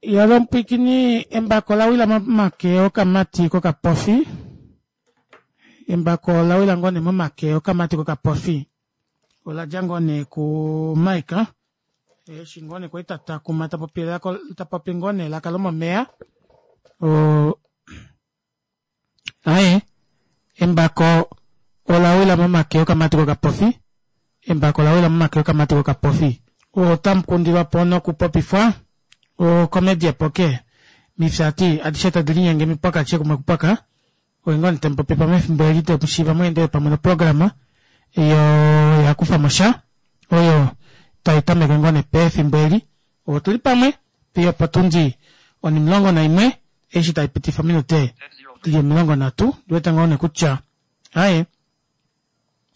Yalo embako la wila momake okamati kokapofi. Embako ola wila ngoo nee momake okamati kokapofi. Ola dja ngoo nee kuMike eshi ngoo nee kwali tatakuma tapopi tapopi ngoo nee elaka lomomeya aaye embako ola wila momake okamati kokapofi embako ola wila momake okamati kokapofi otamu kundilwapo nokupopifwa oComedy Epoke mifyati adishe tadi linyenge mipwaka adishe kumwe kupwaka oye ngoo nee tamupopifa mefimbo eli temushiiva mweendele pamwe noprograma yo yakufamo sha oyo tai tameke ngoo nee pefimbo eli otuli pamwe fiyo opotundi onimulongo naimwe eshi tai pitifa ominute dili 30 ndiwete ngoo nee kutya aye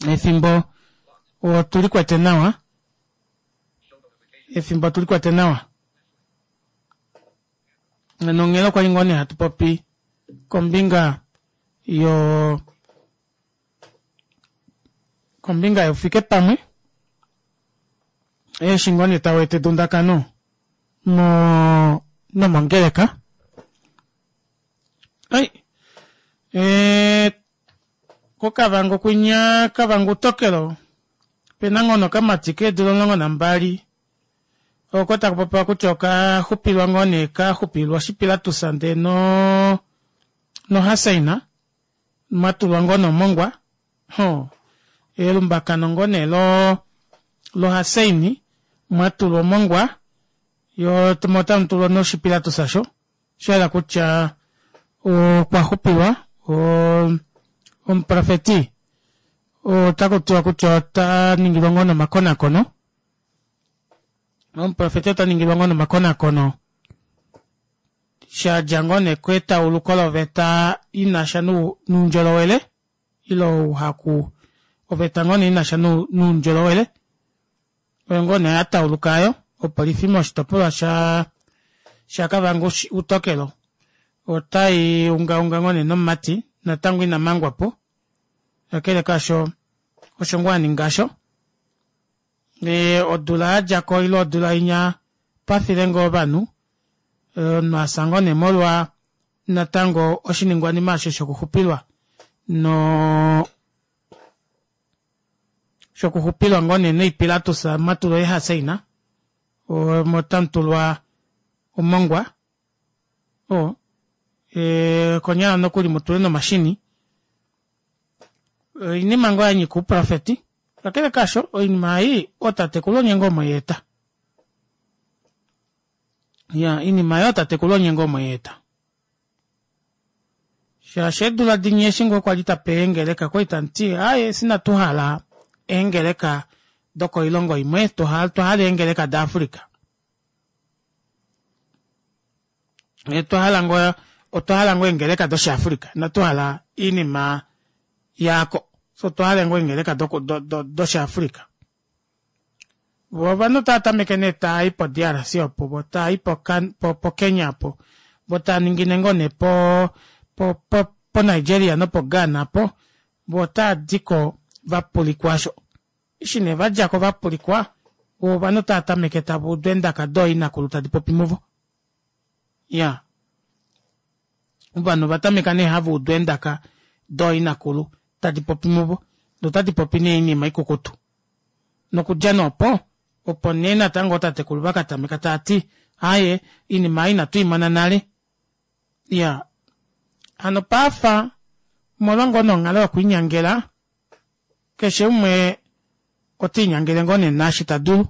efimbo otuli kwete nawa efimbo otuli kwete nawa nonghela okwali ngoo nee hatu popi kombinga yo kombinga youfike pamwe eshi ngoo nee tau eta edundakano mo nomongeleka ai e, kokavango kwinya kavango utokelo pena ngoo nokamati keedula 12 oko taku popiwa kutya oka xupilwa ngoo nee ka xupilwa oshipilatus ndee no nohasaina mwa tulwa ngoo nomongwa ho elumbakano ngoo nee lo lohaseini mwa tulwa omongwa yo mo tamu tulwa noshipilatus asho sha yela kutya okwa xupilwa omuprofeti otaku tiwa kutya ota ningilwa ngoo nomakonakono omuprofeti ota ningilwa ngoo nomakonakono sha dja ngoo nee ketauluko loveta ina sha noundjolowele ile ouhaku oveta ngoo nee ina sha noundjolowele oyo ngoo nee ya tauluka ayo opolifi moshitopolwa sha shaKavango Utokelo otai ungaunga ngoo nee nomumati natango ina mangwa po kakele kaasho osho ngoo a ninga osho e, odula ya dja ko ile odula inya pafile ngoo ovanhu omunhu a fya ngoo nee molwa natango oshiningwanima osho shokuxupilwa no shokuxupilwa ngoo nee noipilatus mwa tulwa eehaseina omo tamu tulwa omongwa o e, konyala nokuli mu tule nomashini oinima ngoo ya nyika ouprofeti kakele kaasho oinima ei ootatekulu onye ngoo mwe i eta ya iinima yo tatekulu onye ngoo mweyeeta shaashi eedula dinye eshi ngoo kwali tape eengeleka kwali tamuti aaye sina tuhala eengeleka dokoilongo imwe twa hala eengeleka daAfrica otwa hala ngoo otwa hala ngoo eengeleka doshiAfrica inatu hala iinima yaako so otwa hala ngoo eengeleka doshiAfrica Vo ovanhu otava tameke nee taa i po-DRC opo, vo taa i po-Kenya opo, vo taa ningine ngoo nee po-Nigeria nopo-Ghana opo, vo otaa di ko va pulikwa osho. Eshi nee va dja ko va pulikwa, vo ovanhu otava tameke tava udu eendaka dooinakulu tadi popi muvo. Ya. Ovanhu ova tameka nee hava udu eendaka dooinakulu tadi popi muvo, notadi popi nee oinima ikukutu. Nokudja nee opo, opo nee natango ootatekulu va ka tameka tava ti, Aaye, oinima ei inatu i mona nale. Iya. Hano paafa, omolwa ngoo nee onghalo yokwiinyangela, keshe umwe ota inyangele ngoo nee naashi ta dulu.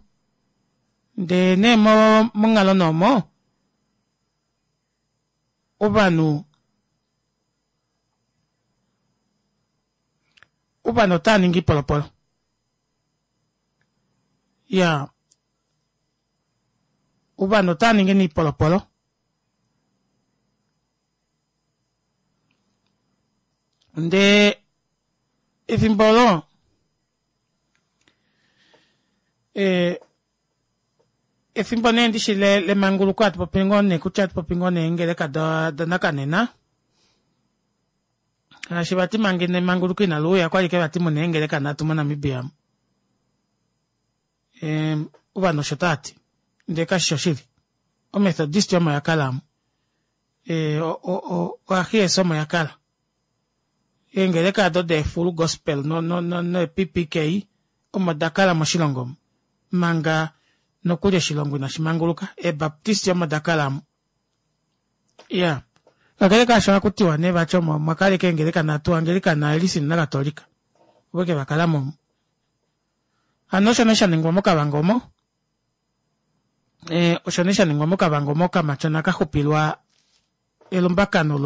Ndee nee monghalo nee omo, ovanhu ovanhu otava ningi ipolopolo ya ovanhu otava ningi niipolopolo ndee efimbo olo e, efimbo nee ndishi lemanguluko hatu popi ngoo nee kutya hatu popi ngoo nee eengeleka danakanena shaashi vati manga emanguluko inali uya kwali ke vati muna eengeleka nhatu moNamibia ovanhu osho tava ti ndee kashi shi oshili. Omethodist omo ya kala omu. E, o, o, o, oahies omo ya kala. Eengeleka ado deefull gospel no, no, no, no PPK omo da kala moshilongo omu. Manga nokuli oshilongo inashi manguluka. Eebaptist omo da kala omu. Ya. Kakele kaasho ohaku tiwa nee vati omo omwa kala ashike eengeleka nhatu, Angelikana, Elcin naKatolika. Ovo ashike va kala mo omu. Hano osho nee sha ningwa moKavango omo. E, osho nee sha ningwa moKavango omo okamatyona ka xupilwa elumbakano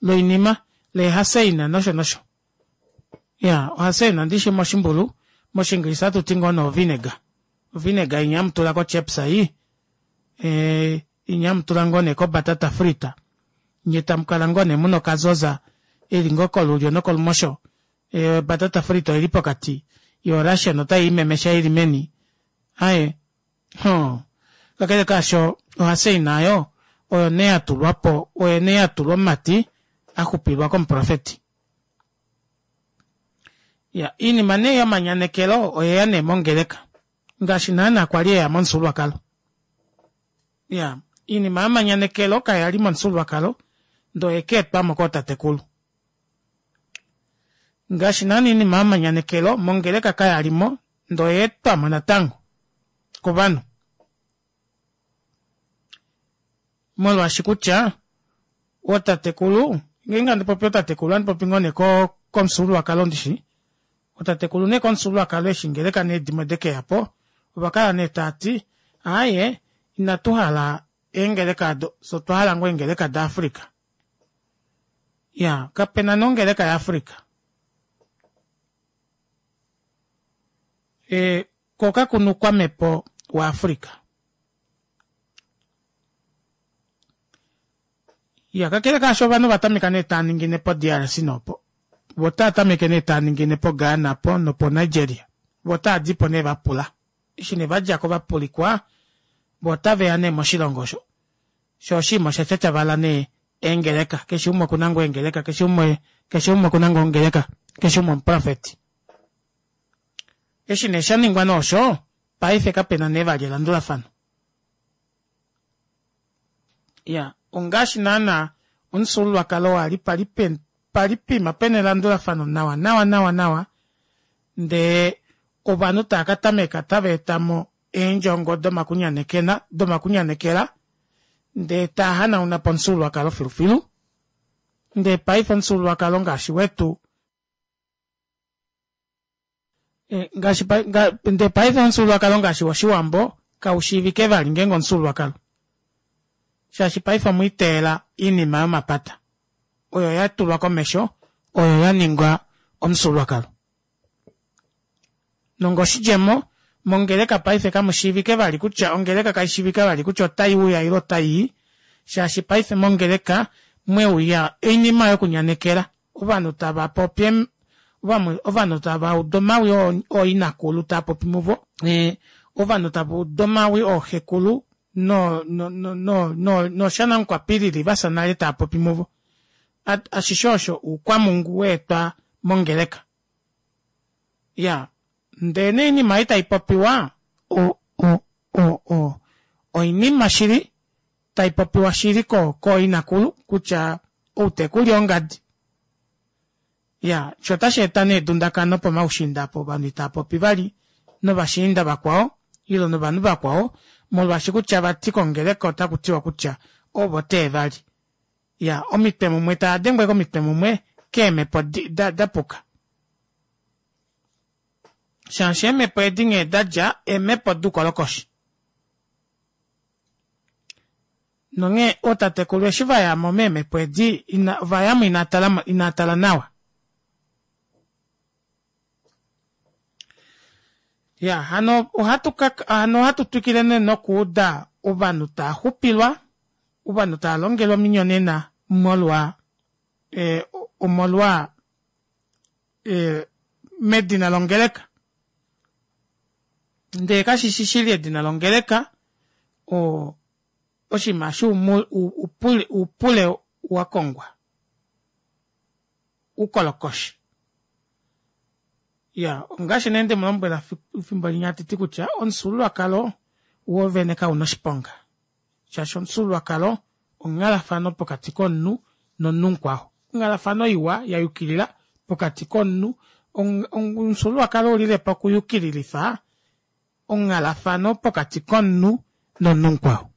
loinima leehaseina nosho nosho. Ya, ohaseina ndishi moshimbulu, moshiingilisa ohatu ti ngoo nee ovinegar. Ovinegar inya hamu tula kochips ei, e, inya hamu tula ngoo nee kobatata frita. Nye tamu kala ngoo nee muna okazoza eli ngoo kolulyo nokolumosho. E, obatata frita oili pokati, yo Russian otai imemesha ili meni. Aye, Hoo. Kakele kaasho, ohaseina oyo oyo nee ya tulwa po, oyo nee ya tulwa omumati a xupilwa komuprofeti. Ya, iinima nee yomanyanekelo oye ya nee mongeleka, ngaashi naanaa kwa li ye ya momufyuululwakalo. Ya, iinima yomanyanekelo kaya li momufyuululwakalo, ndee oye ka etwa mo kootatekulu. Ngaashi naana iinima yomanyanekelo mongeleka kaya li mo, ndee oya etwa mo natango kovanhu. Molwaashi kutya ootatekulu, ngeenge handi popi ootatekulu ohandi popi ngoo nee komufyuululwakalo ndishi, ootatekulu nee komufyuululwakalo eshi ngeleka nee dimwe dekeya po, ova kala nee tava ti aaye inatu hala eengeleka odo, fye otwa hala ngoo eengeleka daAfrica. Ya, kapena nee ongeleka yaAfrica. E, ko kaku na oukwamhepo waAfrica. Ya, kakele kaasho ovanhu ova tameka nee taa ningine po-DRC nopo. Vo otaa tameke nee taa ningine po-Ghana po nopo-Nigeria. Vo otaa di po nee va pula. Eshi nee va dja ko va pulikwa, vo otave ya nee moshilongo osho. Sho oshinima osha tyatyavala nee eengeleka. Keshe umwe oku na ngoo eengeleka, keshe umwe, keshe umwe oku na ngoo ongeleka, keshe umwe omuprofeti. Eshi nee sha ningwa nee osho, paife kape na nee vali elandulafano. Ya, ongaashi naana omufyuululwakalo wa li pali pali pima pena elandulafano nawa nawa nawa nawa, ndee ovanhu tava ka tameka tava eta mo eendjongo domakunyanekena domakunyanekela ndee taa hanauna po omufyuululwakalo filufilu. Ndee paife omufyuululwakalo ngaashi wetu Eh, ngaashi ndee paife omufyuululwakalo ngaashi wOshiwambo kau shiivike vali ngeenge omufyuululwakalo shaashi paife omwa iteela iinima yomapata oyo ya tulwa komesho oyo ya ningwa omufyuululwakalo nongoshidjemo mongeleka paife kamu shiivike vali kutya ongeleka kai shiivika vali kutya otai uya ile otai i shaashi paife mongeleka mwe uya oinima yokunyanekela Ovanhu tava popi ovanhu tava udu omawi ooinakulu taa popi muvo. Ovanhu tava udu omawi ooxekulu no no no no nooshanamukwapilili va fya nale taa popi muvo. Ashishe osho oukwamungu wa etwa mongeleka. Ya, ndee nee oinima ei tai popiwa o o o o oinima shili tai popiwa shili ko kooinakulu kutya outekuli ongadi. Ya, sho otashi eta nee edundakano pomaushiinda apo ovanhu itava popi vali novashiinda vakwao ile novanhu vakwao molwaashi kutya vati kongeleka otaku tiwa kutya ovo tee vali. Ya, omitwe mumwe tava dengwa komitwe mumwe keemhepo da, da puka. Shaashi eemhepo edi nghee da dja eemhepo dukolokoshi. Nonghee ootatekulu eshi va ya mo meemhepo edi, ina, ova ya mo inaa tala, inaa tala nawa. Ya, hano ohatu ka, hano ohatu twikile nee nokuuda ovanhu taa xupilwa, ovanhu taa longelwa ominyonena molwa, e, omolwa, e, medina longeleka. Ndee kashi shi shili edina longeleka, o, oshinima eshi upule, upule wa kongwa. Ukolokoshi. Ya, ongaashi nee nde mu lombwela fimbo linya handi ti kutya omufyuululwakalo wo vene kau na oshiponga. Shaashi omufyuululwakalo onghalafano pokati komunhu nomunhu mukwao. Onghalafano iwa ya yukilila pokati komunhu. Omufyuululwakalo oulile po okuyukililifa onghalafano pokati komunhu nomunhu mukwao.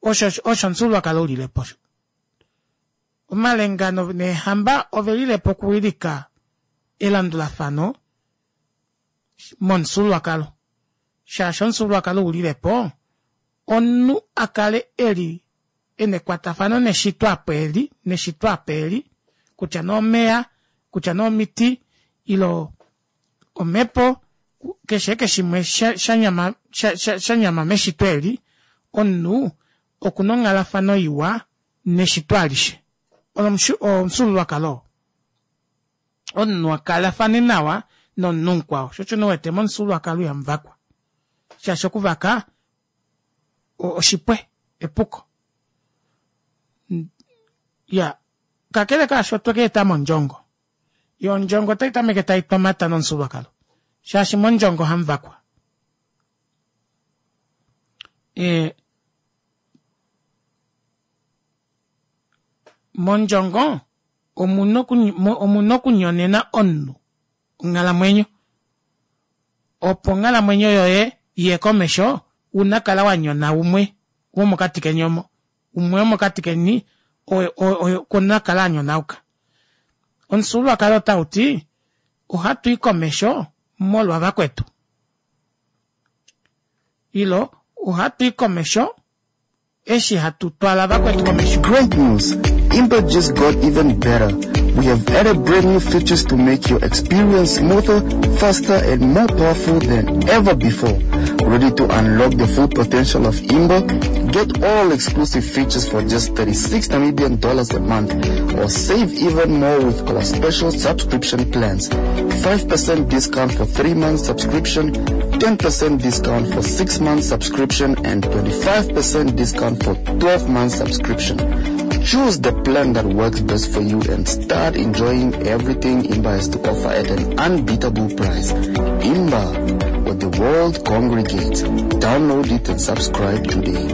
Osho osho omufyuululwakalo ulile po osho. Omalenga neehamba ove lile po okuwilika elandulafano momufyuululwakalo. Shaashi omufyuululwakalo u lile po omunhu a kale e li e na ekwatafano neshito apo e li, neshito apa e li, kutya nee omeya, kutya nee omiti, ile omhepo, keshe eke shimwe sha nyama sha nyama meshito eli, omunhu oku na onghalafano iwa neshito alishe. Omufyuululwakalo oo. Omunhu a kalafane nawa nomunhu mukwao. Sho osho nee u wete momufyuululwakalo ihamu vakwa. Shaashi okuvaka oshipwe, epuko. Ya, kakele kaasho otwe ka eta mo ondjongo. Yo ondjongo otai tameke tai twamata nomufyuululwakalo. Shaashi mondjongo ohamu vakwa. E, mondjongo omuna okunyonena omunhu onghalamwenyo. Opo onghalamwenyo yoye iye komesho, una kala wa nyona umwe womokati keni omo. Umwe womokati keni okuna kala a nyonauka. Omufyuululwakalo otau ti ohatu i komesho molwa vakwetu. Ilo ohatu i komesho eshi hatu twala vakwetu komesho. Great news! Imba just got even better. We have added brand new features to make your experience smoother, faster, and more powerful than ever before. Ready to unlock the full potential of Imba? Get all exclusive features for just 36 Namibian dollars a month, or save even more with our special subscription plans. 5% discount for 3 months subscription, 10% discount for 6 months subscription, and 25% discount for 12 months subscription. Choose the plan that works best for you and start enjoying everything Imba has to offer at an unbeatable price. Imba, where the world congregates. Download it and subscribe today.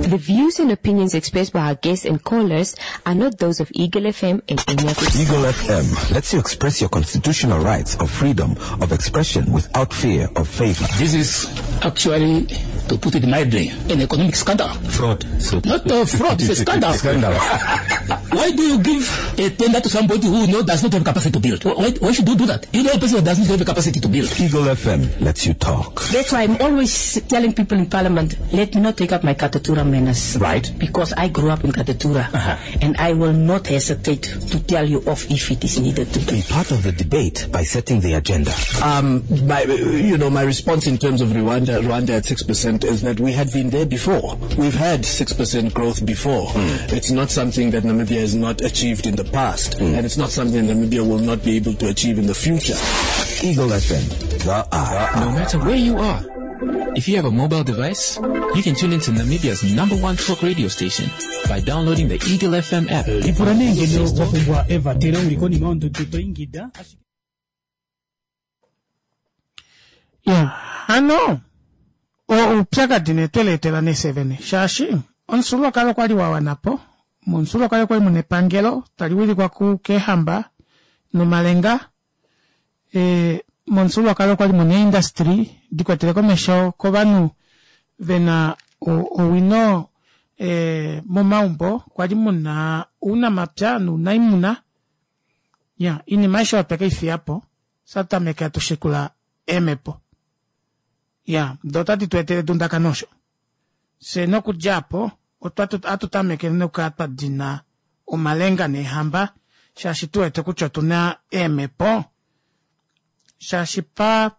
The views and opinions expressed by our guests and callers are not those of Eagle FM and any of its Eagle FM lets you express your constitutional rights of freedom of expression without fear of favor. This is actually, to put it mildly, an economic scandal. Fraud. So Not a fraud, it's a scandal. Scandal. Why do you give a tender to somebody who knows does not have capacity to build? Why should you do that? You know a person who doesn't have the capacity to build. Eagle FM lets you talk. That's why I'm always telling people in Parliament, let me not take up my Katutura manners. Right. Because I grew up in Katutura. And I will not hesitate to tell you off if it is needed to. Be part of the debate by setting the agenda. My response in terms of Rwanda at 6% is that we had been there before. We've had 6% growth before. It's not something that Namibia has not achieved in the past, and it's not something that Namibia will not be able to achieve in the future. Eagle FM, the eye. No matter where you are, if you have a mobile device, you can tune into Namibia's #1 talk radio station by downloading the Eagle FM app. Lipula nee ngeno wa pumbwa evatelo uli konima yondudu to ingida. Ya, hano oupyakadi nee twe leetela nee fye vene, shaashi omufyuululwakalo okwa li wa wana po. Momufyuululwakalo okwa li mu na epangelo tali wilikwa keehamba nomalenga. Momufyuululwakalo okwa li mu na eeindastri di kwetele komesho kovanhu ve na owino momaumbo. Okwa li mu na ounamapya nounaimuna. Ya, oinima aishe oyo twe ke i fiya po, fye tameke hatu shikula eemhepo. Ya, do otadi tu etele edundakano osho. Fye nokudja apo, ohatu tameke nokukala twa dina omalenga neehamba, shaashi tu wete kutya otu na eemhepo. Shaashi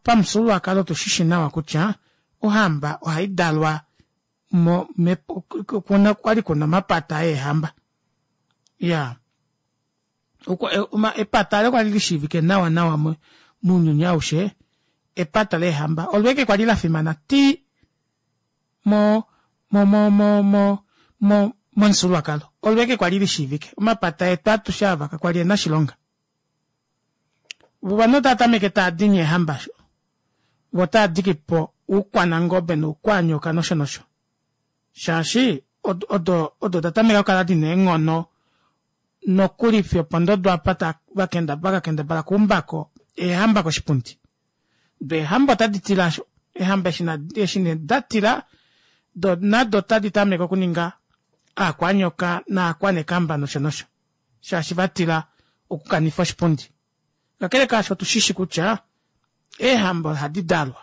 pamufyuululwakalo otu shi shi nawa kutya ohamba ohai dalwa kwa li kuna omapata eehamba. Ya. Epata olo kwali lishiivike nawa nawa mounyuni aushe, epata leehamba. Olo eke kwali la fimana ti momufyuululwakalo. Olo eke kwali lishiivike. Omapata etu atushe ava kakwali ena oshilonga. Ovanhu otava tameke tava dini eehamba osho. Vo otava diki po oukwanangobe noukwanyoka nosho nosho. Shaashi odo odo da tameka okukala dina eenghono nokuli fiyo opondodo apa ta va kendabala okuumbako eehamba koshipundi. Do eehamba otadi tila asho. Eehamba eshi nee da tila, do nado otadi tameke okuninga aakwanyoka naakwanekamba nosho nosho. Shaashi va tila okukanifa oshipundi. Kakele kaasho otu shishi kutya eehamba ohadi dalwa.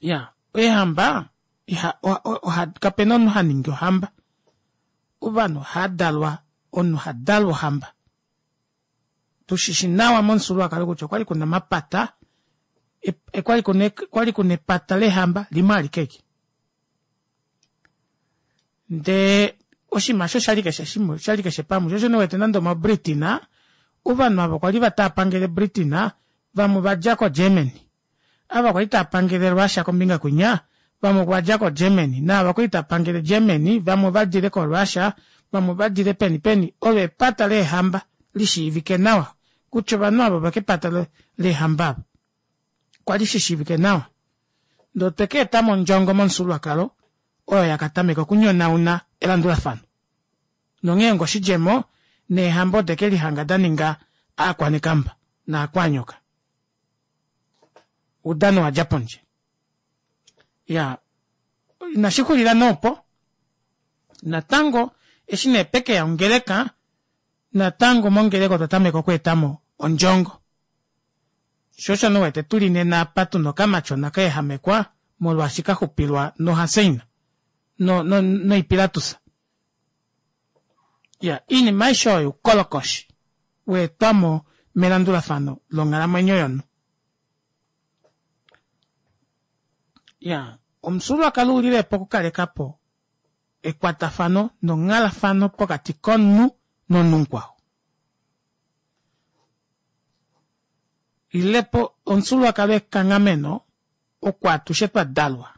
Ya, eehamba iha, oha, kapena omunhu ha ningi ohamba. Ovanhu ohava dalwa, omunhu ha dalwa ohamba. Tu shishi nawa momufyuululwakalo kutya okwali kuna omapata, okwali kuna epata lehamba limwe alike eke. Ndee oshinima osho oshali keshe shimwe, oshali keshe pamwe. Sho osho nee wete nande omoBritain, ovanhu ava kwali tava pangele Britain, vamwe ova dja koGermany. Ava kwali tava pangele Russia kombinga kwinya, vamwe ova dja koGermany. Naava kwali tava pangele Germany, vamwe ova dile koRussia, vamwe ova dile peni peni. Olo epata leehamba lishiivike nawa kutya ovanhu ava ovekepata leehamba ava. Okwa li shi shiivike nawa. Ndee otwe ka eta mo ondjongo momufyuululwakalo oyo ya ka tameka okunyonauna elandulafano. Nonghee ongoshidjemo, neehamba ode ke lihanga da ninga aakwanekamba naakwanyoka. Oudano wa dja pondje. Ya, inashi xulila nee opo. Natango, eshi nee peke ya ongeleka, natango mongeleka otwa tameka okweeta mo ondjongo. Sho osho nee wete tuli nena apa tuna okamatyona ka ehamekwa molwaashi ka xupilwa nohaseina no, no, noipilatusa. Ya, iinima aishe oyo oukolokoshi wa etwa mo melandulafano longhalamwenyo yomunhu. Ya, omufyuululwakalo u lile po okukaleka po ekwatafano nonghalafano pokati komunhu nomunhu mukwao. Lile po omufyuululwakalo ekanghameno oko atushe twa dalwa.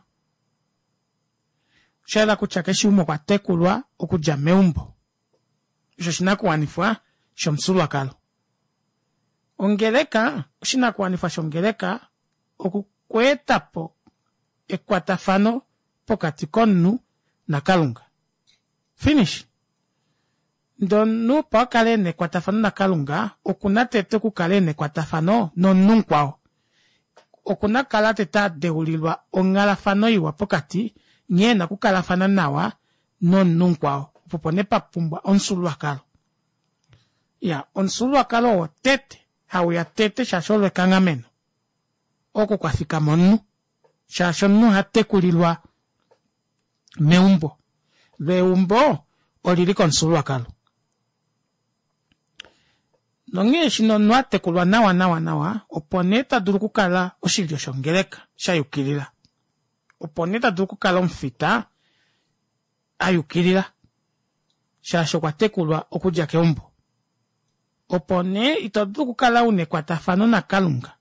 Osha yela kutya keshe umwe okwa tekulwa okudja meumbo. Osho oshinakuwanifwa shomufyuululwakalo. Ongeleka, oshinakuwanifwa shongeleka okukweeta po ekwatafano pokati komunhu naKalunga. Finish. Ndee omunhu opo a kale e na ekwatafano naKalunga, oku na tete okukala e na ekwatafano nomunhu mukwao. Oku na okukala tete a deulilwa onghalafano iwa pokati nghee e na okukalafana nawa nomunhu mukwao. Opo opo nee pa pumbwa omufyuululwakalo. Iya, omufyuululwakalo owo tete hau ya tete shaashi olo ekanghameno oko kwa fikama omunhu. Shaashi omunhu oha tekulilwa meumbo. Lo eumbo oli li komufyuululwakalo. Nonghee eshi nee omunhu a tekulwa nawa nawa nawa, opo nee ta dulu okukala oshilyo shongeleka sha yukilila. Opo nee ta dulu okukala omufita a yukilila shaashi okwa tekulwa okudja keumbo. Opo nee ito dulu okukala u na ekwatafano naKalunga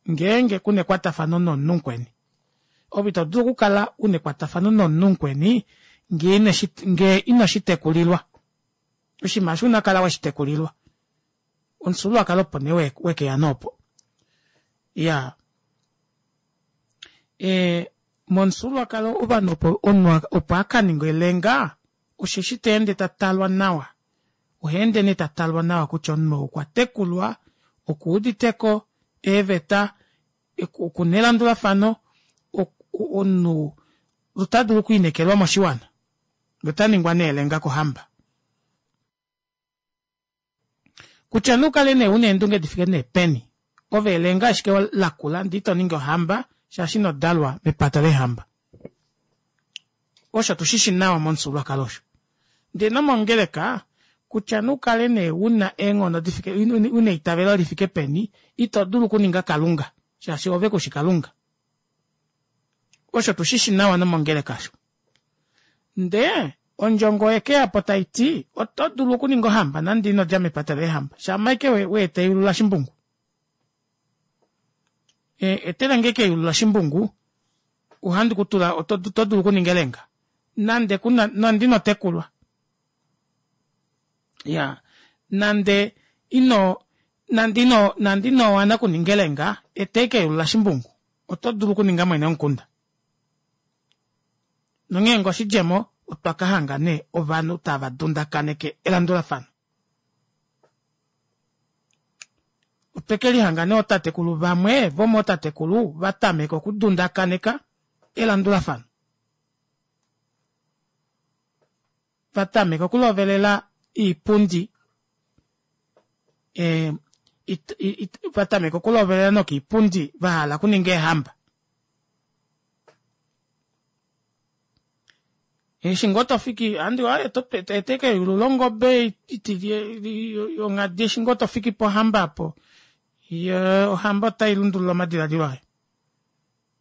ngeenge ku na ekwatafano nomunhu mukweni. Ove ito dulu okukala u na ekwatafano nomunhu mukweni ngee ino shi tekulilwa. Oshinima osho una kala we shi tekulilwa. Omufyuululwakalo opo nee we ke ya nee opo. Iyaa. E, momufyuululwakalo ovanhu opo omunhu opo a ka ninge elenga osheshi ta ende ta talwa nawa. Oha ende nee ta talwa nawa kutya omunhu ou okwa tekulwa, okuuditeko eeveta, oku na elandulafano, omunhu ota dulu okwiinekelwa moshiwana. Ota ningwa nee elenga kohamba. Kutya nee u kale nee u na eendunge di fike nee peni, ove elenga ashike lakula ndee ito ningi ohamba shaashi ino dalwa mepata leehamba. Osho tu shi shi nawa momufyuululwakalo osho. Ndee nomongeleka, kutya nee u kale nee u na eenghono di fike, u na eitavelo li fike peni, ito dulu okuninga Kalunga shaashi ove ku shi Kalunga. Osho tu shi shi nawa nomongeleka osho. Ndee ondjongo oye ke ya po tai ti, oto dulu okuninga ohamba nande ino dja mepata leehamba, shama ashike we eta eyulu laShimbungu. E, etele nge eke eyulu laShimbungu, ohandi ku tula, oto, oto dulu okuninga elenga. Nande kuna, nande ino tekulwa. Ya, nande ino, nande ino, nande ino wana okuninga elenga, eta eke eyulu laShimbungu, oto dulu okuninga mwene womukunda. Nonghee ngo oshidjemo otwa ka hanga nee ovanhu tava dundakaneke elandulafano. Otwe ke lihanga nee ootatekulu vamwe vomootatekulu va tameka okudundakaneka elandulafano. Va tameka okulovelela iipundi e, it, it, va tameka okulovelela nokiipundi va hala okuninga eehamba. Eshi ngoo to fiki andi aye to eteke eyulu longobe yonghadi eshi ngoo to fiki pohamba apo ye ohamba otai lundulula omadiladilo ayo.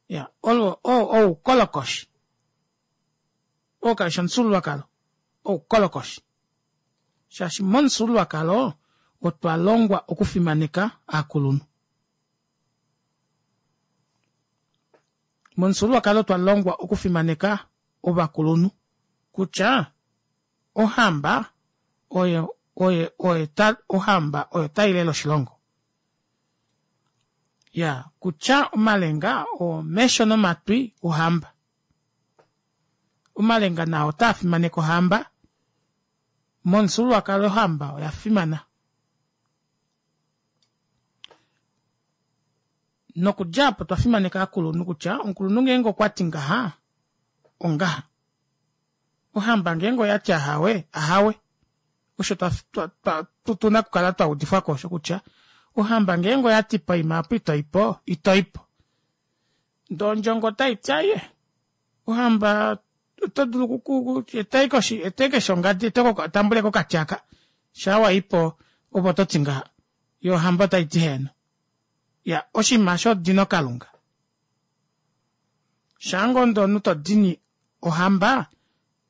Ya, olo oukolokoshi. Oo kau shi omufyuululwakalo, oukolokoshi. Shaashi momufyuululwakalo otwa longwa okufimaneka aakulunhu. Momufyuululwakalo otwa longwa okufimaneka ovakulunhu kutya ohamba oyo oye oye ta ohamba oyo tai lele oshilongo. Ya kutya omalenga omesho nomatwi ohamba. Omalenga nao otaa fimaneke ohamba. Momufyuululwakalo ohamba oya fimana. Nokudja apo otwa fimaneka aakulunhu kutya omukulunhu ngeenge okwa ti ngaha, ongaha. Ohamba ngeenge oya ti ahawe, ahawe. Osho twa, twa, twa, tu na okukala twa udifwa ko osho kutya ohamba ngeenge oya ti poima apo ito i po, ito i po. Ndee ondjongo otai ti aye, ohamba oto dulu oku etai koshi etai keshe ongadi etai tambule ko okati aka shaa wa i po ove oto ti ngaha yo ohamba otai ti heeno ya oshinima shodino kalunga shaa ngoo ndee omunhu to dini ohamba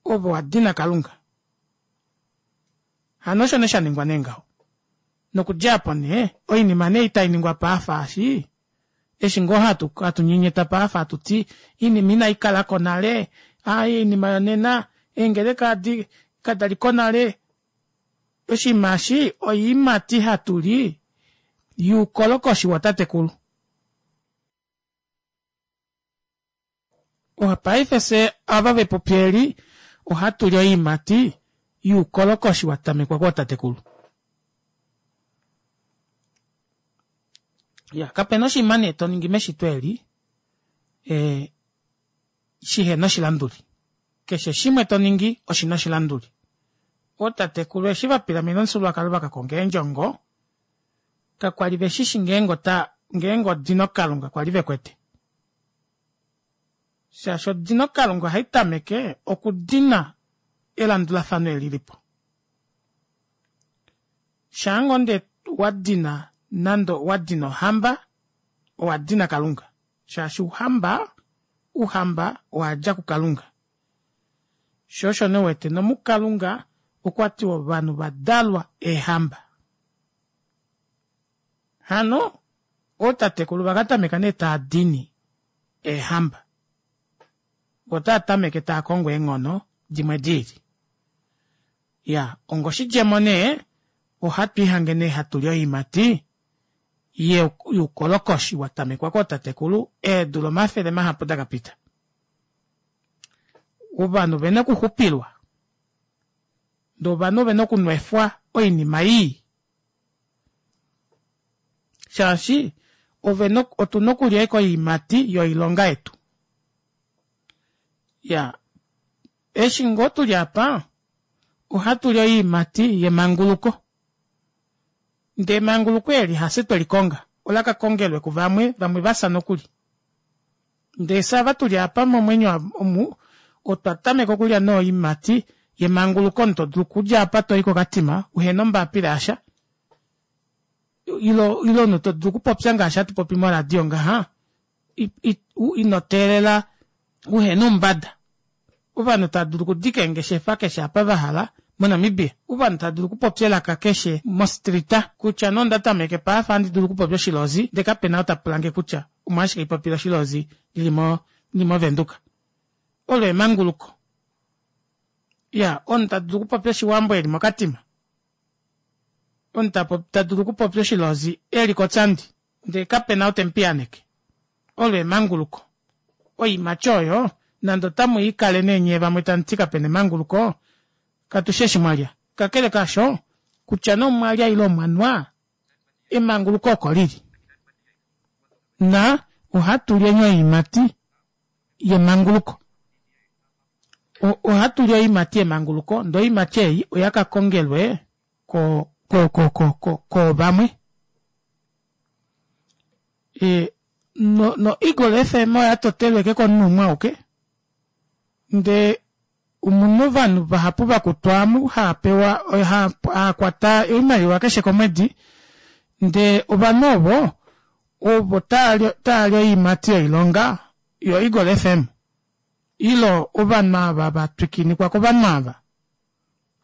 ove wa dina kalunga hano osho nee sha ningwa nee ngaho nokudja apo nee oinima nee itai ningwa paafa eshi Eshi ngoo hatu hatu nyenyeta paafa hatu ti iinima inai kala ko nale, aaye oinima yonena eengeleka adi kada li ko nale. Oshinima eshi oiimati hatu li yuukolokoshi wootatekulu. Paife fye ava vepupi eli ohatu li oiimati yuukolokoshi wa tamekwa kootatekulu. Ya, kape na oshinima nee to ningi meshito eli e, shihe na oshilanduli. Keshe shimwe to ningi oshi na oshilanduli. Ootatekulu eshi va pilamena omufyuululwakalo va ka konga eendjongo, kakwa li ve shi shi ngeenge ota ngeenge odino Kalunga kwa li ve kwete. Shaashi odino Kalunga ohai tameke okudina elandulafano eli li po. Shaa ngoo nde wa dina nande owa dina ohamba, owa dina Kalunga. Shaashi ouhamba, ouhamba owa dja kuKalunga. Sho osho nee wete nomuKalunga okwa tiwa ovanhu va dalwa eehamba. Hano ootatekulu va ka tameka nee taa dini eehamba. Vo taa tameke taa kongo eenghono dimwe di ili. Ya, ongoshidjemo nee, ohatu ihange nee hatu li oiimati youkolokoshi wa tamekwa kootatekulu eedula omafele mahapu da ka pita. Ovanhu ove na okuxupilwa, ndee ovanhu ove na okunwefwa oinima ii. Shaashi ove na otu na okulya ashike oiimati yoilonga yetu. Ya, eshi ngoo tuli apa, ohatu li oiimati yemanguluko. Ndee emanguluko eli hafye tweli konga, ola ka kongelwe kuvamwe, vamwe va fya nokuli. Ndee fye ava tuli apa momwenyo omu, otwa tameka okulya nee oiimati yemanguluko omunhu to dulu okudja apa toyi kokatima uhena ombapila yasha, ile ile omunhu to dulu okupopya ngaashi hatu popi moradio ngaha, ino teelela uhena oumbada. Ovanhu tava dulu okudika eengeshefa keshe apa va hala moNamibia. Ovanhu tava dulu okupopya elaka keshe mostrita kutya nee onda tameke paafa handi dulu okupopya oshilozi ndee kape na ou ta pula nge kutya omolwashike haipopile oshilozi ndili mo ndili moVenduka. Olo emanguluko. Ya, omunhu ta dulu okupopya oshiwambo eli moKatima. Omunhu ta ta dulu okupopya oshilozi eli koTsandi ndee kape na ou te mu piyaaneke. Olo emanguluko. Oiimati oyo. Nande otamu ikale nee nyee vamwe tamu ti kapena emanguluko, katu shi eshi mwa lya. Kakele kaasho, kutya nee omwa lya ile omwa nwa, emanguluko oko lili. Na ohatu lyeni oiimati yemanguluko. Ohatu li oiimati yemanguluko, ndee oiimati ei oya ka kongelwe ko ko ko ko ko koovamwe. E, no, no Eagle FM oya totelwe ke komunhu umwe auke. Ndee omuna ovanhu vahapu vakutwa amu haa pewa haa kwata oimaliwa keshe komwedi ndee ovanhu ovo ovo taali oiimati yoilonga yo Eagle FM ilo ovanhu ava va twikinikwa kovanhu ava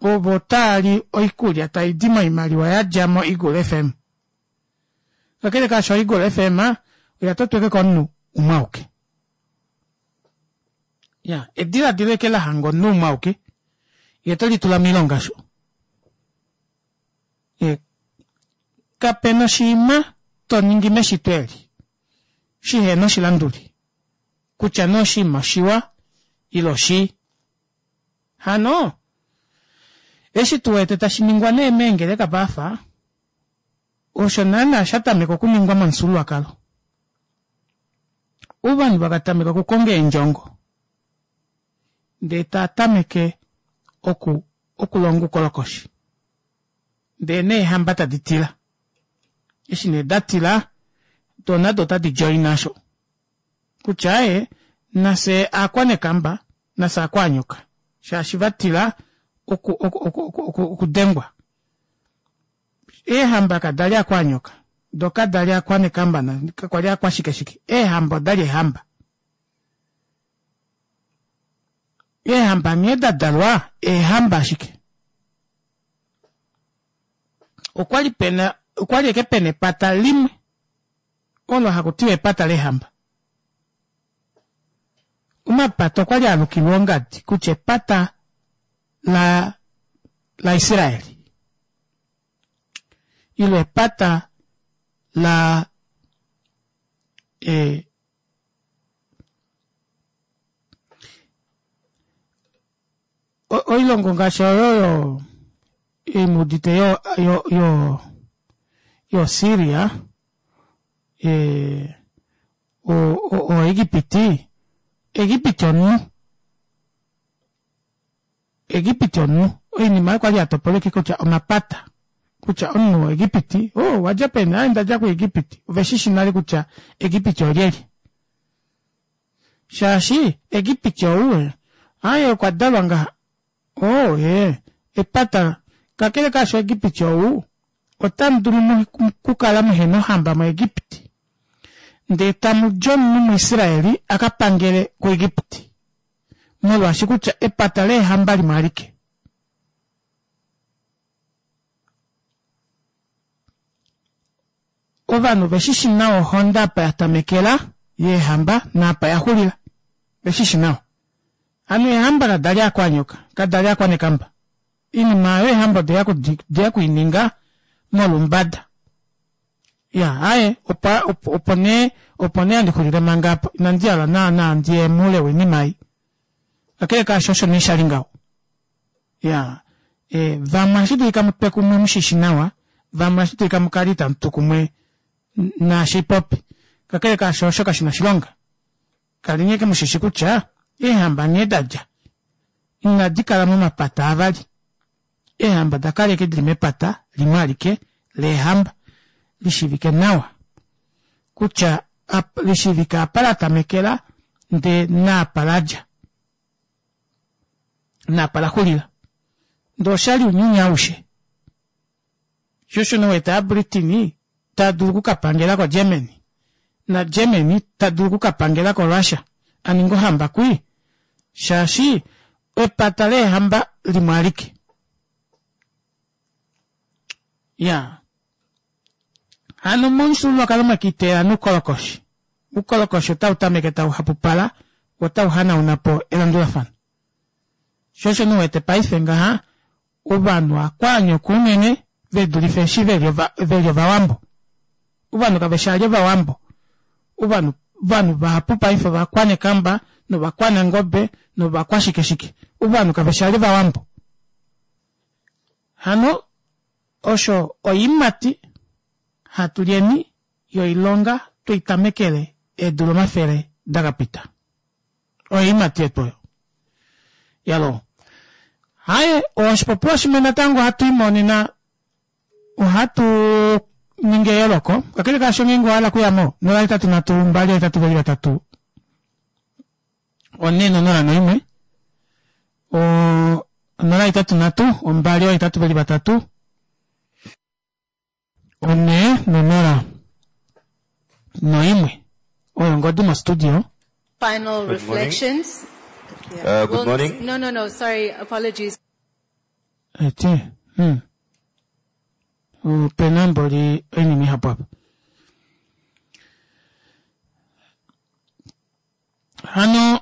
ovo taali oikulya tai di moimaliwa ya dja mo Eagle FM. Kakele kaasho Eagle FM oya totweke komunhu umwe auke. Ya, ediladilo eke la hanga omunhu umwe auke, ye te li tula moilonga sho. E, kape na oshinima to ningi meshito eli shi he na oshilanduli, kutya nee oshinima oshiwa ile oshii. Hano, eshi tu wete tashi ningwa nee meengeleka paafa, osho naana sha tameka okuningwa momufyuululwakalo. Ovanhu vaka tameka okukonga eendjongo ndee taa tameke oku okulonga oukolokoshi. Ndee neehamba tadi tila. Eshi nee da tila, do nado otadi joina osho. Kutya aaye, nafye aakwanekamba, nafye aakwaanyoka. Shaashi va tila oku oku oku oku okudengwa. Eehamba kada li akwaanyoka, do kada li akwanekamba na kakwa li akwashikeshike. Eehamba oda li eehamba. Eehamba nghee da dalwa, eehamba ashike. Okwa li pena, okwa li eke pena epata limwe olo haku tiwa epata leehamba. Omapata okwa li a lukilwa ongadi kutya epata la laIsraeli ile epata la e, oilongo ngaashi oyo yo imudite yo yo yo yo Syria e, o, o, o Egipiti Egipiti omunhu Egipiti omunhu oinima oyo kwali ya topoleke kutya omapata kutya omunhu woEgipiti o oh, wadja peni aye ndadja kuEgipiti ove shi shi nale kutya Egipiti olyelye shaashi Egipiti ou aye okwa dalwa ngaha o oh, ye epata kakele kaasho Egipiti ou otamu dulu kukala muhena ohamba muEgipiti ndee tamu di omunhu muIsraeli a ka pangele kuEgipiti molwaashi kutya epata leehamba limwe alike. Ovanhu ve shi shi nawa ohonda apa ya tamekela yeehamba naapa ya xulila. Ve shi shi nawa. Hano eehamba kada li akwanyoka, kada li akwanekamba. Iinima oyo eehamba ode ya ku i ninga molumbada. Ya, aye, opo, opo, opo nee, opo nee handi xulile manga apa. Inandi hala naanaa ndi ye moule woinima ei. Kakele kaasho osho nee sha li ngaho. Ya, e, vamwe ohashi dulika mu twe kumwe mu shi shi nawa, vamwe ohashi dulika mu kale itamu tu kumwe naashi popi. Kakele kaasho osho kashi na oshilonga. Kaleni ashike mu shi shi kutya eehamba nghee da dja, inadi kala momapata avali. Eehamba oda kala ashike di li mepata limwe alike leehamba, li shiivike nawa kutya li shiivike apa la tamekela ndee naapa la dja, naapa la xulila. Ndee osha li ounyuni aushe. Sho osho nee wete aaBritini taa dulu oku ka pangela koGermany naGermany ta dulu oku ka pangela koRussia a ninge ohamba kwii shaashi epata leehamba limwe alike. Ya hano momufyuululwakalo mwekiteela nuukolokoshi. Uukolokoshi otau tameke tau hapupala wo otau hanauna po elandulafano. Sho osho nee wete paife ngaha Ovanhu akwaanyoka unene ve dulife eshi ve li Ovawambo. Ovanhu kave shi ali Ovawambo. Ovanhu, ovanhu vahapu paife ovakwanekamba. novakwanangobe novakwashikeshike. Ovanhu kave shi ali Ovawambo. Hano osho oiimati hatu lyeni yoilonga twei tamekele eedula omafele da ka pita. Oiimati yetu oyo. Yaloo. Haye, oshipopiwa shimwe natango hatu imonena ohatu ningi eyooloko kakele kaasho ngeenge owa hala okuya mo 083 2 8 2 4 0 1 o 083 2 8 2 4 0 1 oyo ongodi mostudio Final Good morning. reflections. Yeah. Good We'll- morning. No, no, no. Sorry. Apologies. Eti, hmm. Ope na mboli oinima ihapu apa. Hano,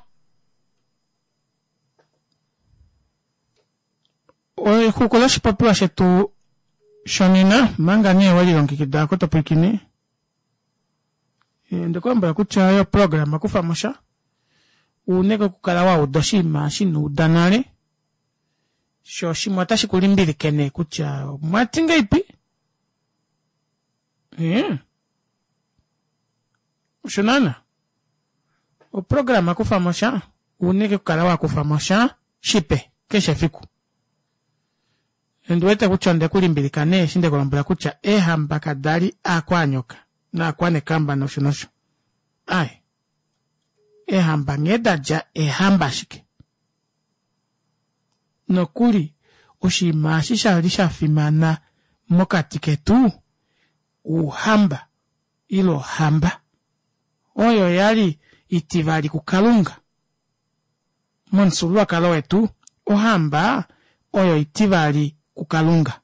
exuku loshipopiwa shetu shonena, manga nee we lilongekida oko to pwilikine, eh, ndekulombwela kutya oyo programa kufa mo sha, uneke okukala wa uda oshinima shi uda nale, sho shimwe otashi ku limbilike nee kutya omwa ti ngeipi? Eh. Osho naana. Oprograma kufa mo sha, uneke okukala wa kufa mo sha shipe keshe efiku. Ondi wete kutya onde ku limbilika nee eshi nde ku lombwela kutya eehamba kada li aakwanyoka naakwanekamba nosho nosho. Ai. Eehamba nghee da dja eehamba ashike. Nokuli oshinima eshi sha li sha fimana mokati ketu ouhamba ile ohamba oyo ya li itivali kuKalunga momufyuululwakalo wetu ohamba oyo itivali kuKalunga.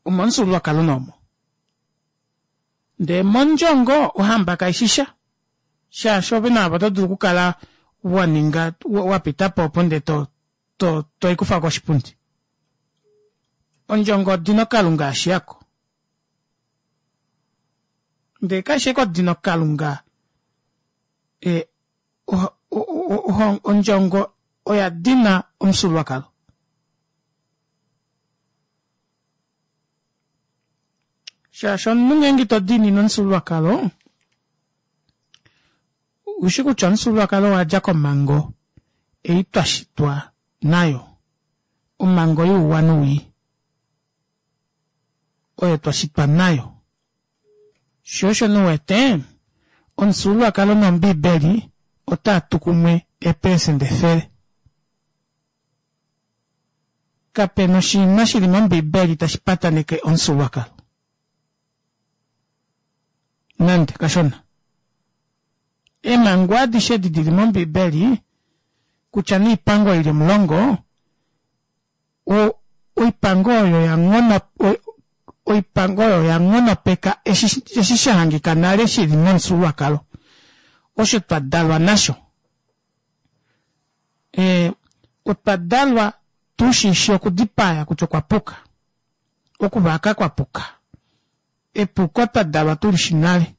Omomufyuululwakalo nee omo. Ndee mondjongo ohamba kaishi sha shaashi ove naave oto dulu okukala wa ninga wa pita po opo ndee to to toikufa koshipundi. Ondjongo odino kalunga yashiyako. Ndee kaishi ashike odino kalunga e, ondjongo oya dina omufyuululwakalo. Shaashi omunhu ngeenge ito diinine omufyuululwakalo, ushi kutya omufyuululwakalo owa dja komhango ei twa shitwa nayo, omhango youwa nowii oyo twa shitwa nayo. Sho osho nee uwete omufyuululwakalo nombiibeli otaa tu kumwe eepelesenda efele. Kape na oshinima shi li mOmbiibeli tashi pataneke omufyuululwakalo. Nande kashona. Eemhango adishe edi di li mOmbiibeli, kutya nee oipango i li omulongo, o, oipango oyo ya nghono, oipango oyo oya nghonopeka eshi, eshi sha hangika nale shi li momufyuululwakalo, osho twa dalwa nasho. E, otwa dalwa tu shi shi okudipaya kutya okwa puka, okuvaka kwa puka. Epuko twa dalwa tu li shi nale.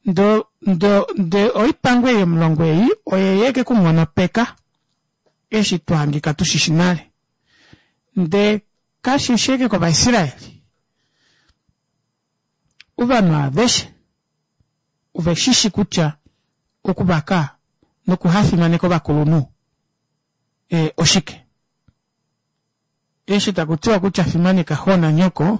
Ndo, ndo, nde oipango ei omulongo ei oye ye ke ku nghonopeka eshi twa hangika tu shi shi nale. Nde kashi shi ashike kOvaisraeli. Ovanhu aveshe ove shi shi kutya okuvaka nokuhafimaneka ovakulunhu e, oshike. Eshi taku tiwa kutya fimaneka xo nanyoko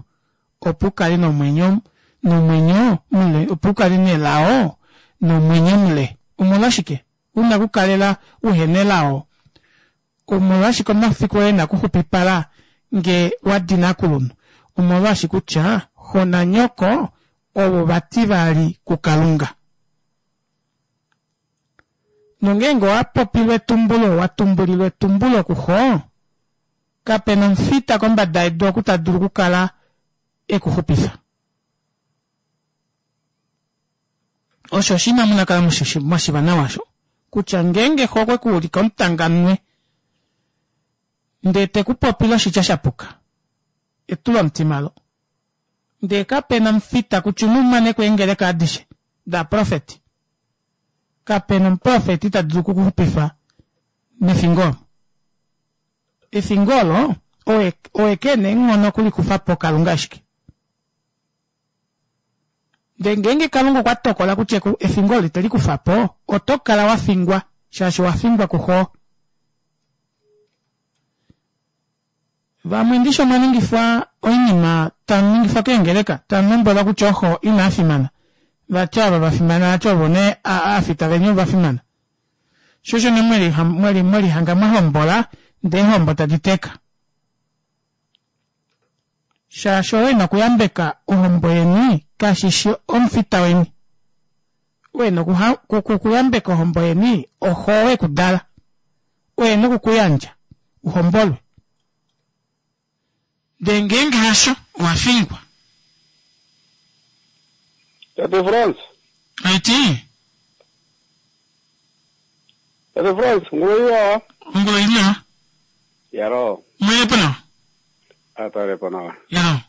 opo u kale nomwenyo nomwenyo mule, opo u kale nelao nomwenyo mule. Omolwashike u na okukalela uhe nelao? Omolwashike omafiku oye e na okuxupipala nge wa dina aakulunhu? Omolwaashi kutya xo nanyoko ovo vativali kuKalunga. Nongeenge owa popilwa etumbulo, wa tumbulilwa etumbulo kuxo, kape na omufita kombada yedu oku ta dulu okukala e ku xupifa. Osho oshinima mu na kala mwa shiva nawa osho kutya ngeenge xo okwe ku ulika omutanganwe ndee te ku popile oshitya sha puka, etulomutima lo. Ndee kape na omufita kutya umwe umane ko eengeleka adishe daaprofeti. Kape na omuprofeti ta dulu okukuxupifa mefingo olo. Efingo olo oye, oye ke na eenghono okulikufa po Kalunga ashike. Ndele ngeenge Kalunga okwa tokola kutya efingo olo ite li kufa po, oto kala wa fingwa shaashi owa fingwa kuxo. Vamwe ndishi omwa ningifwa oinima tamu ningifwa keengeleka tamu lombwelwa kutya oxo inaa fimana. Vati ava va fimana vati ovo nee aafita veni ova fimana. Sho osho nee mweli mwelihanga mwa hombola ndee eehombo tadi teka. Shaashi owe na okuyambeka ohombo yeni kashi shi omufita weni. Owe na okuyambeka ohombo yeni oxo we ku dala. Oye na oku ku yandja u hombolwe. Ndee ngeenge hasho, owa fingwa. Tate Frans. Aiti. Tate Frans, ongula iwa. Ongula iwa. Yalo. Mwelepo nawa. Atalepo nawa. Yalo.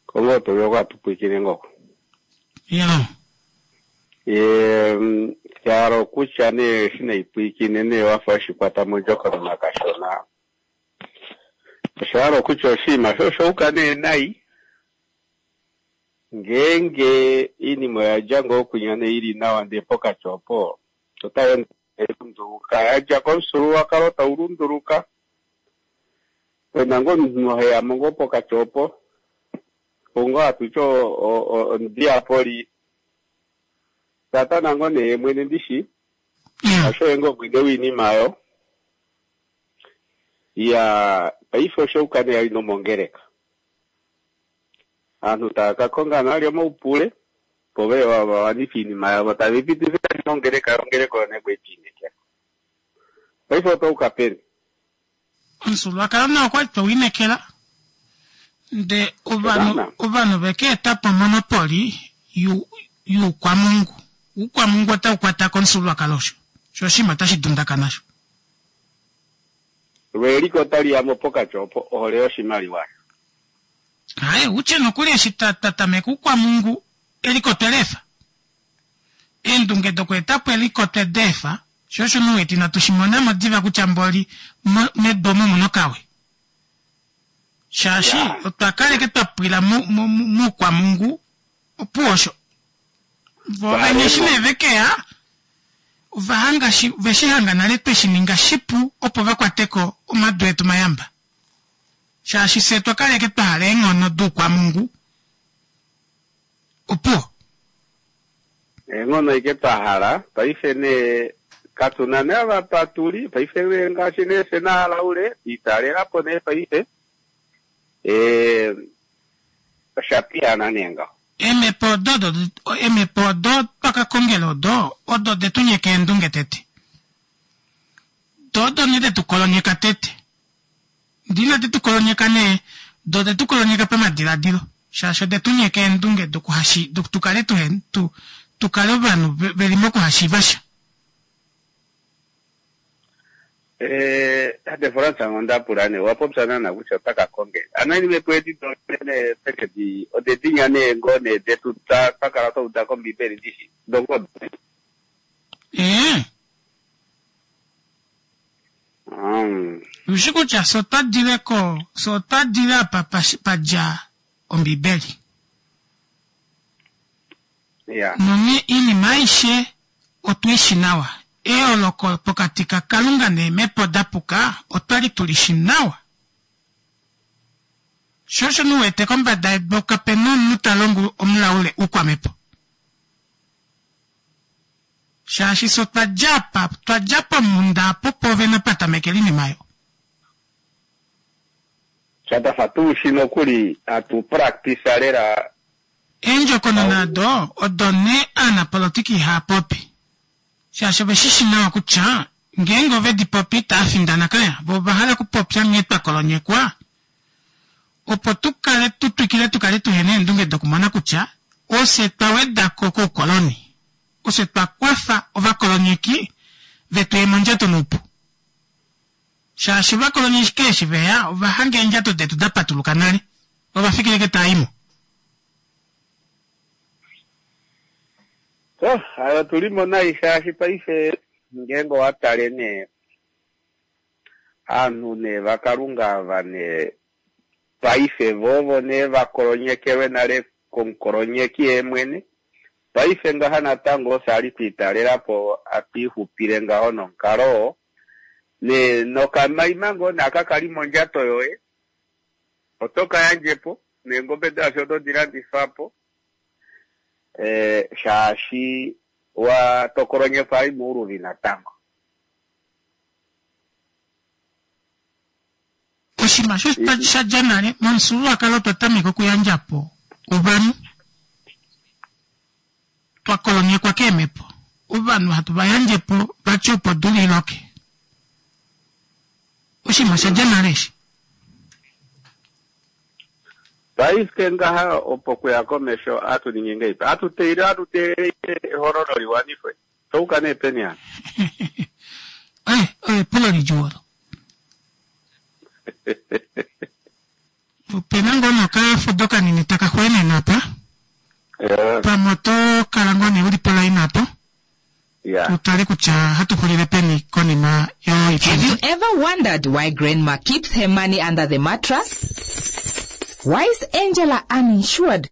Kongo to yoka tupwikine ngoko. Yalo. Ye yalo kutya nee eshi naipwikine nee wafa oshikwata mondjokonona kashona. Osha hala okutya oshinima sho osha uka nee nai. Ngeenge iinima oya dja ngoo kwinya nee ili nawa ndee pokati opo otai ende tai lunduluka, ya dja komufyuululwakalo tau lunduluka. Pena ngoo omunhu heya mo ngoo pokati opo, ou ngoo hatu ti omudiapoli. Satana ngoo nee ye mwene ndishi, osho ye ngoo mwene woinima oyo. Iyaa, paife osha uka nee nomongeleka. Aantu taya ka konga nale omaupule opo veye va wanife iinima yavo tave i pitifa mongeleka yo ongeleka oyo nee kweti inekela. Paife otwa uka peni? Omufyuululwakalo nao okwali tweu inekela nde ovanhu ovanhu veke eta po omonopoli yuukwamungu. Uukwamungu otau kwata komufyuululwakalo osho. Sho oshinima otashi dundakana sho. Lweeliko otali ya mo pokati opo, ohole yoshimaliwa. Haye, u tye nokuli eshi twa twa tameka uukwamungu, eliko otwe li efa. Eendunge dokweeta po eliko otwe di efa, sho osho omunhu weti inatu shi mona mo diva kutya mboli mo, medu omu omu na okawe. Shaashi otwa kaleke twa pwila mu, mu, mu, muukwamungu, opuwo osho. Vo vene eshi nee ve ke ya, ova hanga shi, ve shi hanga nale twe shi ninga shipu opo va kwate ko omadu etu mayamba. Shaashi fye otwa kaleke twa hala eenghono duukwamungu. Opuwo. Eenghono ashike twa hala. Paife nee katu na nee ava pa tu li. Paife nee ngaashi nee fye naHalaule, twa italela po nee paife. Ee, osha piyaana nee ngaho. Eemhepo odo odo eemhepo odo twa ka kongela odo odo de tu nyeka eendunge tete. Do odo nee de tu kolonyeka tete. Ndee inadi tu kolonyeka nee, do ode tu kolonyeka pamadiladilo, shaashi ode tu nyeka eendunge dokuhashi, tu kale tuhe, tu, tu kale ovanhu ve li mokuhashiiva sha. Eh, tate Frans onda pula nee, owa popya naana kutya ota ka konge. Ano eemhepo edi do nee oteke di, ode dinya nee ngoo nee detu twa twa kala twa uda kOmbiibeli dishi, do ngoo do. Ee. Mm. Ushi kutya fye otwa dile ko, fye otwa dile apa pa, pa dja Ombibeli. Ya. Nonghee iinima aishe otu i shi nawa. Eyooloko pokati kaKalunga neemhepo da puka otwa li tu li shi nawa. Sho osho mu wete kombada yedu kape na omunhu ta longo omulaule oukwamhepo. Shaashi fye otwa dja apa, twa dja pomhunda apo pwoovene pa tamekela oinima oyo. Sha twa fa tu shi nokuli hatu practice lela. Eendjokonona odo odo nee aanapolotiki ihaa popi, shaashi ove shi shi nawa kutya ngeenge ove di popi itava findana kaya. Vo ova hala okupopya nghee twa kolonyekwa opo tu kale tu twikile tu kale tuhe na eendunge dokumona kutya ofye twa weda ko koukoloni, ofye twa kwafa ovakolonyeki ve tu ye mondjato noupu. Shaashi ovakolonyeki eshi ve ya ova hanga eendjato detu da patuluka nale, ova fikile ke taa i mo. Oh, ayo otu li mo nai shaashi paife ngeenge owa tale nee aanhu nee vaKalunga ava nee paife vo ovo nee va kolonyekelwe nale komukolonyeki yee mwene. Paife ngaha natango ofye ali twa italela po atu ixupile ngaho nomukalo oo. Nee nokamaima ngoo nee aka kali mondjato yoye oto ka yandje po, neengobe daasho oto di landifa po eh, shaashi wa tokolonyekwa ali mouluvi natango. Oshinima osho sha dja nale momufyuululwakalo otwa tameka okuyandja po ovanhu twa kolonyekwa keemhepo. Ovanhu hatu va yandje po vati opo odula i loke. Oshinima osha dja nale eshi. Paife ngaha opo kuya komesho atu ningi ngeipi? Atu teile atu teelele ehololo li wanifwe. Touka nee peni hano? Eh, epulo lidjuu olo. Ope na ngoo nokafudo kanini taka xweenene apa. Pamwe oto kala ngoo nee u li polaina apo. Tu tale kutya hatu xulile peni konima yoipindi. Have you ever wondered why grandma keeps her money under the mattress? Why is Angela uninsured?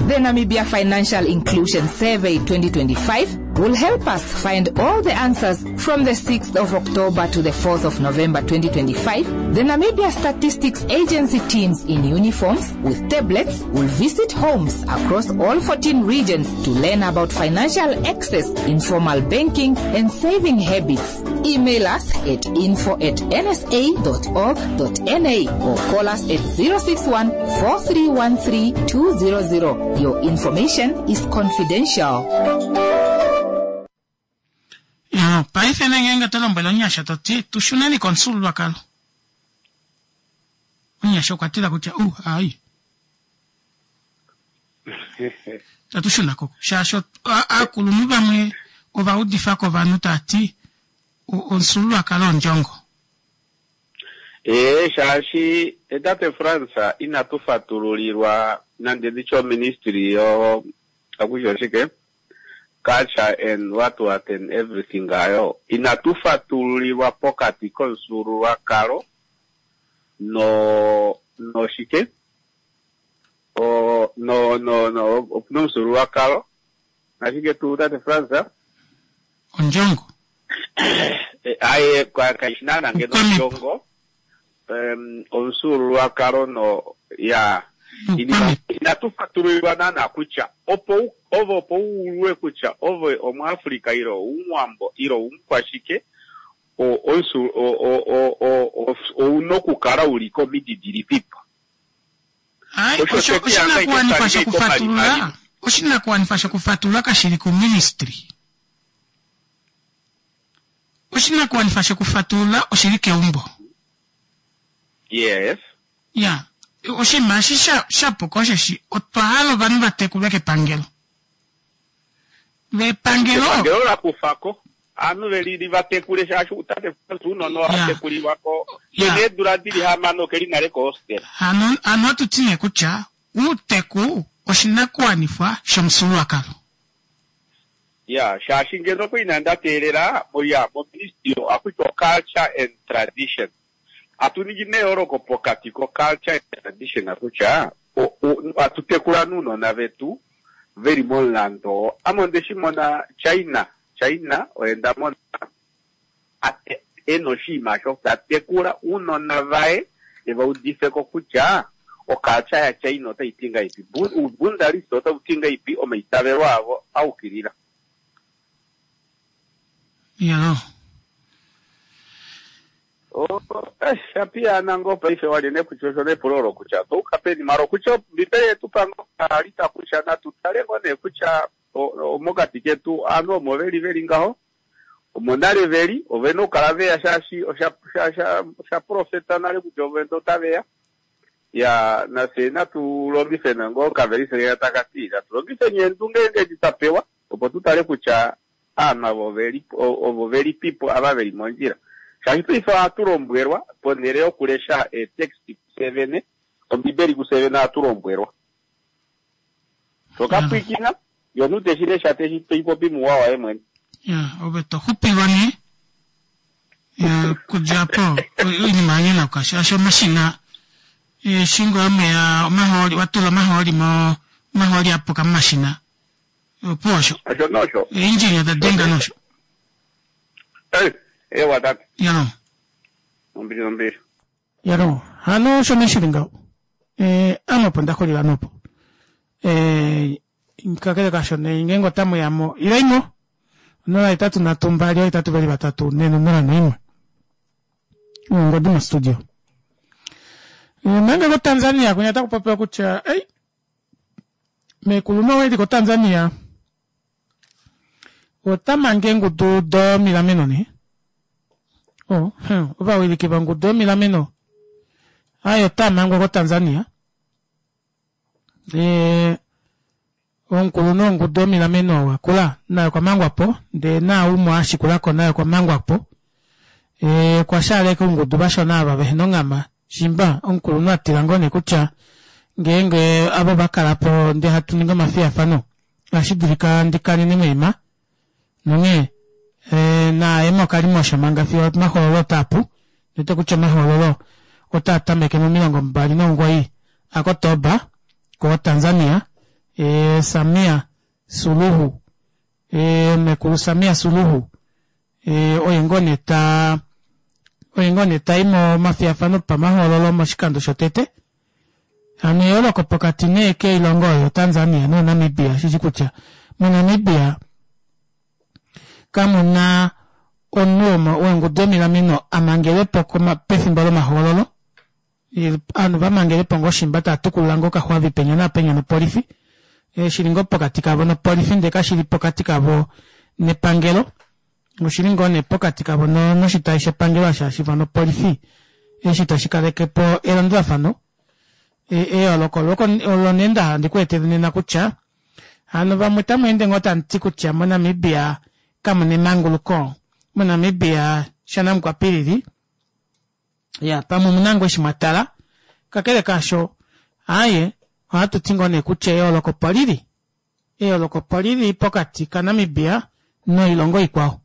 The Namibia Financial Inclusion Survey 2025 will help us find all the answers from the 6th of October to the 4th of November 2025. The Namibia Statistics Agency teams in uniforms with tablets will visit homes across all 14 regions to learn about financial access, informal banking, and saving habits. Email us at info at nsa.org.na or call us at 061 4313 200. Your information is confidential. Ya, paife nee ngeenge oto lombwele omunyasha to ti tu shuneni komufyuululwakalo, omunyasha okwa tila kutya uh ai tatu shuna ko shaashi aakulunhu vamwe ova udifa ko ovanhu taa ti omufyuululwakalo ondjongo. Ee, shaashi tate Frans inatu fatululilwa nande nditye oministry yo akushi oshike culture and what what and everything ayo inatu fatululilwa pokati komufyuululwakalo no noshike o no no no opuna omufyuululwakalo nashike tuu tate Frans? Ondjongo. Aye kaishi naana ngeno ondjongo omufyuululwakalo no ya inima inatu fatululilwa naana kutya opo ove opo u ulwe kutya ove omuAfrica ile oumuwambo ile oumukwashike ouna okukala u li komidi dilipipo. Ai, osho oshinakuwanifwa shokufatulula oshinakuwanifwa shokufatulula kashi li kuministry. Oshinakuwanifwa shokufatulula oshi li keumbo. Yes. Ya, oshinima eshi sha, sha puka osheshi otwa hala ovanhu va tekulwe kepangelo. Vepangelo. Epangelo la kufa ko ovanhu ve li va tekule shaashi tate Frans ounona oha tekulilwa ko kena eedula dili hamano ke li nale kohostel. Hano, hano ohatu ti nee kutya uuteku oshinakuwanifwa shomufyuululwakalo. Ya, shaashi ngeno opo inanda teelela, ya, moministry ohaku tiwa culture and tradition. Atu ningi neyooloko pokati ko culture and tradition kutya atu tekula nuunona vetu veli momulandu oo. Ame onde shi mona China, China oye nda mona ena oshinima osho ta tekula uunona vaye eva udifeko kutya oculture ya China otai ti ngahelipi, Uubundalist otau ti ngahelipi, omaitavelo avo a ukilila. Iyaloo. Oh, eh, sha piyaana ngoo paife walye nee kutya osho nepulo olo kutya otwa uka peni mara okutya ombibeli yetu pa ngoo kaalita kutya natu tale ngoo nee kutya mokati ketu aanhu omo veli veli ngaho omo nale veli ovena okukala veya shaashi osha sha sha osha profeta nale kutya ovenda otaveya ya nafye natu longife ngoo okavelise keya taka ti natu longifeni eendunge edi twa pewa opo tu tale kutya aanhu ava ove ovo velipipo ava veli mondjila. Shaashi paife ohatu lombwelwa, ponhele yokulesha eeteksti kufye vene, Ombibeli kufye vene ohatu lombwelwa. To ka pwiikina, ye omunhu te shi lesha te shi popi muuwa waye mwene. Ya, ove to xupilwa nee. Ya, okudja opo oinima ya nyonauka shaashi omashina eshi ngoo omeya omahooli wa tula omahooli mo omahooli a puka momashina opuwo osho. Osho nosho. Eendjini oda denga nosho. Eh, ewa tate. Ya. Ombili nombili. Yalo, hano osho nee shili ngaho. Eh, ame opo nda xulila nopo. Eh, kakele kasho nee ngeenge otamu ya mo, ilei mo. 083 2 8 2 3 4 0 1. Ongodi mostudio. Eh, manga koTanzania kunya taku popiwa kutya ei meekulu nowe li koTanzania ota mange eengudu domilameno nee oh, ovawiliki vongudu yomilameno aye otaa mangwa koTanzania e, omukulunhu wongudu yomilameno wakula naye okwa mangwa po ndee naaumwe a shikula ko naye okwa mangwa po e, okwa shaala ashike oungudu vashona ava vehena onghama shimba omukulunhu a tila ngoo nee kutya ngeenge avo va kala po ndee hatu ningi omafiyafano ohashi dulika ndi kanene moima nonghee eh, naye mokalimosho manga fiyo omahoololo otaa pu nete kutya omahoololo otaa tameke momilongo 29 aKotoba koTanzania eh, Samia Suluhu eh, mekulu Samia Suluhu eh, oye ngoo nee ta oye ngoo nee ta i momafiyafano pamahoololo moshikando shotete Hano eyooloko pokati nee keilongo oyo Tanzania noNamibia osheshi kutya moNamibia kamu na omunhu wongudu yomilameno a mangelwe po pefimbo lomahoololo. Ovanhu va mangelwe po ngoo shimba tava tukulula ngoo okaxwavi penya naapenya nopolifi. Shi li ngoo pokati kavo nopolifi ndee kashi li pokati kavo nepangelo. Oshi li ngoo nee pokati kavo noshitayi shepangelo hashi shiiva nopolifi eshi tashi kaleke po elandulafano. Eyooloko olo nee nda hala ndi ku etele nena kutya hano vamwe otamu ende ngoo tamu ti kutya moNamibia kamu na emanguluko, moNamibia shanamukwapilili, ya pamwe omuna ngoo eshi mwa tala. Kakele kaasho, aaye ohatu ti ngoo nee kutya eyooloko opo li li. Eyooloko opo li li pokati kaNamibia noilongo ikwao.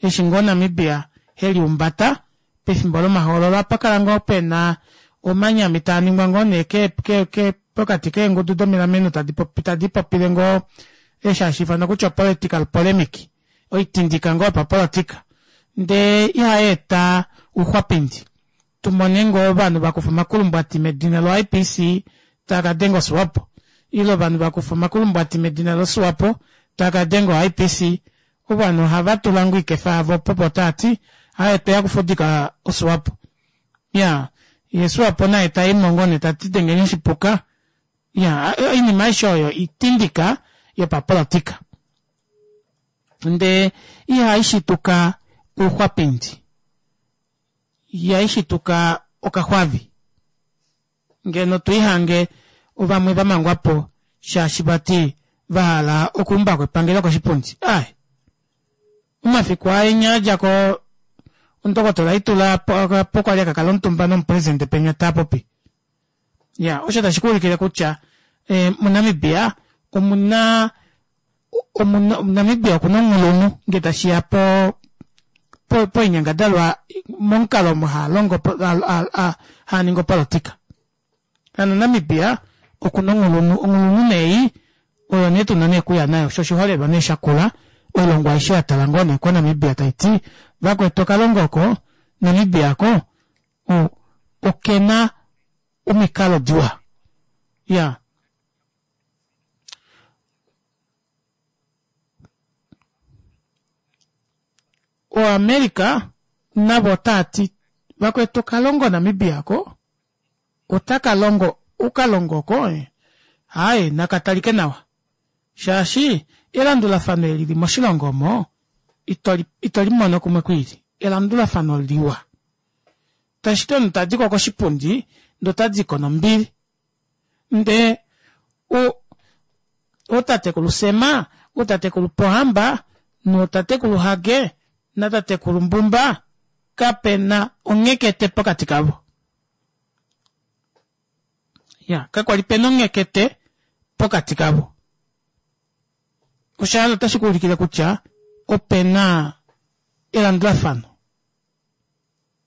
Eshi ngoo Namibia he liumbata pefimbo lomahoololo opa kala ngoo pe na omanyami taa ningwa ngoo nee ke, ke, ke, pokati keengudu domilameno tadi popi, tadi popile ngoo eshi hashi ifanwa kutya political polemic, oitindika ngoo yopapolotika, ndee ihai eta ouxwapindi. Tu mone ngoo ovanhu va kufa omakulumbwati medina loIPC taa ka denga oSwapo, ile ovanhu va kufa omakulumbwati medina loSwapo taa ka denga oIPC. Ovanhu ohava tula ngoo oikefa yavo opo po taa ti, Aaye tweya okufudika oSwapo. Ya, ye Swapo naye ta i mo ngoo nee ta ti dengeni oshipuka. Ya, oinima aishe oyo itindika yopapolotika. Ndee ihai shituka ouxwapindi. Ihai shituka okaxwavi. Ngeno tu ihange ovamwe va mangwa po shaashi vati va hala okuumba ko epangelo koshipundi. Ai! Omafiku aa enya a dja ko omundokotola Itula po kwa li a ka kala omutumba nomupresidente penya Taapopi. Ya, osho tashi ku ulikile kutya eh, muNamibia omuna omuna Namibia okuna onghulunhu nge tashi ya po poinyangadalwa momukalo omo haa longo haa ningi opolotika. Hano Namibia okuna onghulunhu, onghulunhu nee oyo nee tuna nee okuya nayo sho oshiholelwa nee shakula oilongo aishe ya tala ngoo nee koNamibia tai ti vakwetu okalongo oko Namibia ko okena omikalo diwa. Ya. OAmerica navo otaa ti vakwetu okalongo Namibia ko otaka longo okalongo oko aaye naka talike nawa shaashi elandulafano eli li moshilongo omo ito li mono kumwe kwiili elandulafano liwa tashi ti omunhu tadi ko koshipundi ndee ota di ko nombili Ndee o, ootatekulu Sema, ootatekulu Pohamba nootatekulu Hage natatekulu Mbumba kape na onghekete pokati kavo. Ya, kakwa li pe na onghekete pokati kavo. Osha hala otashi ku ulikile kutya ope na elandulafano.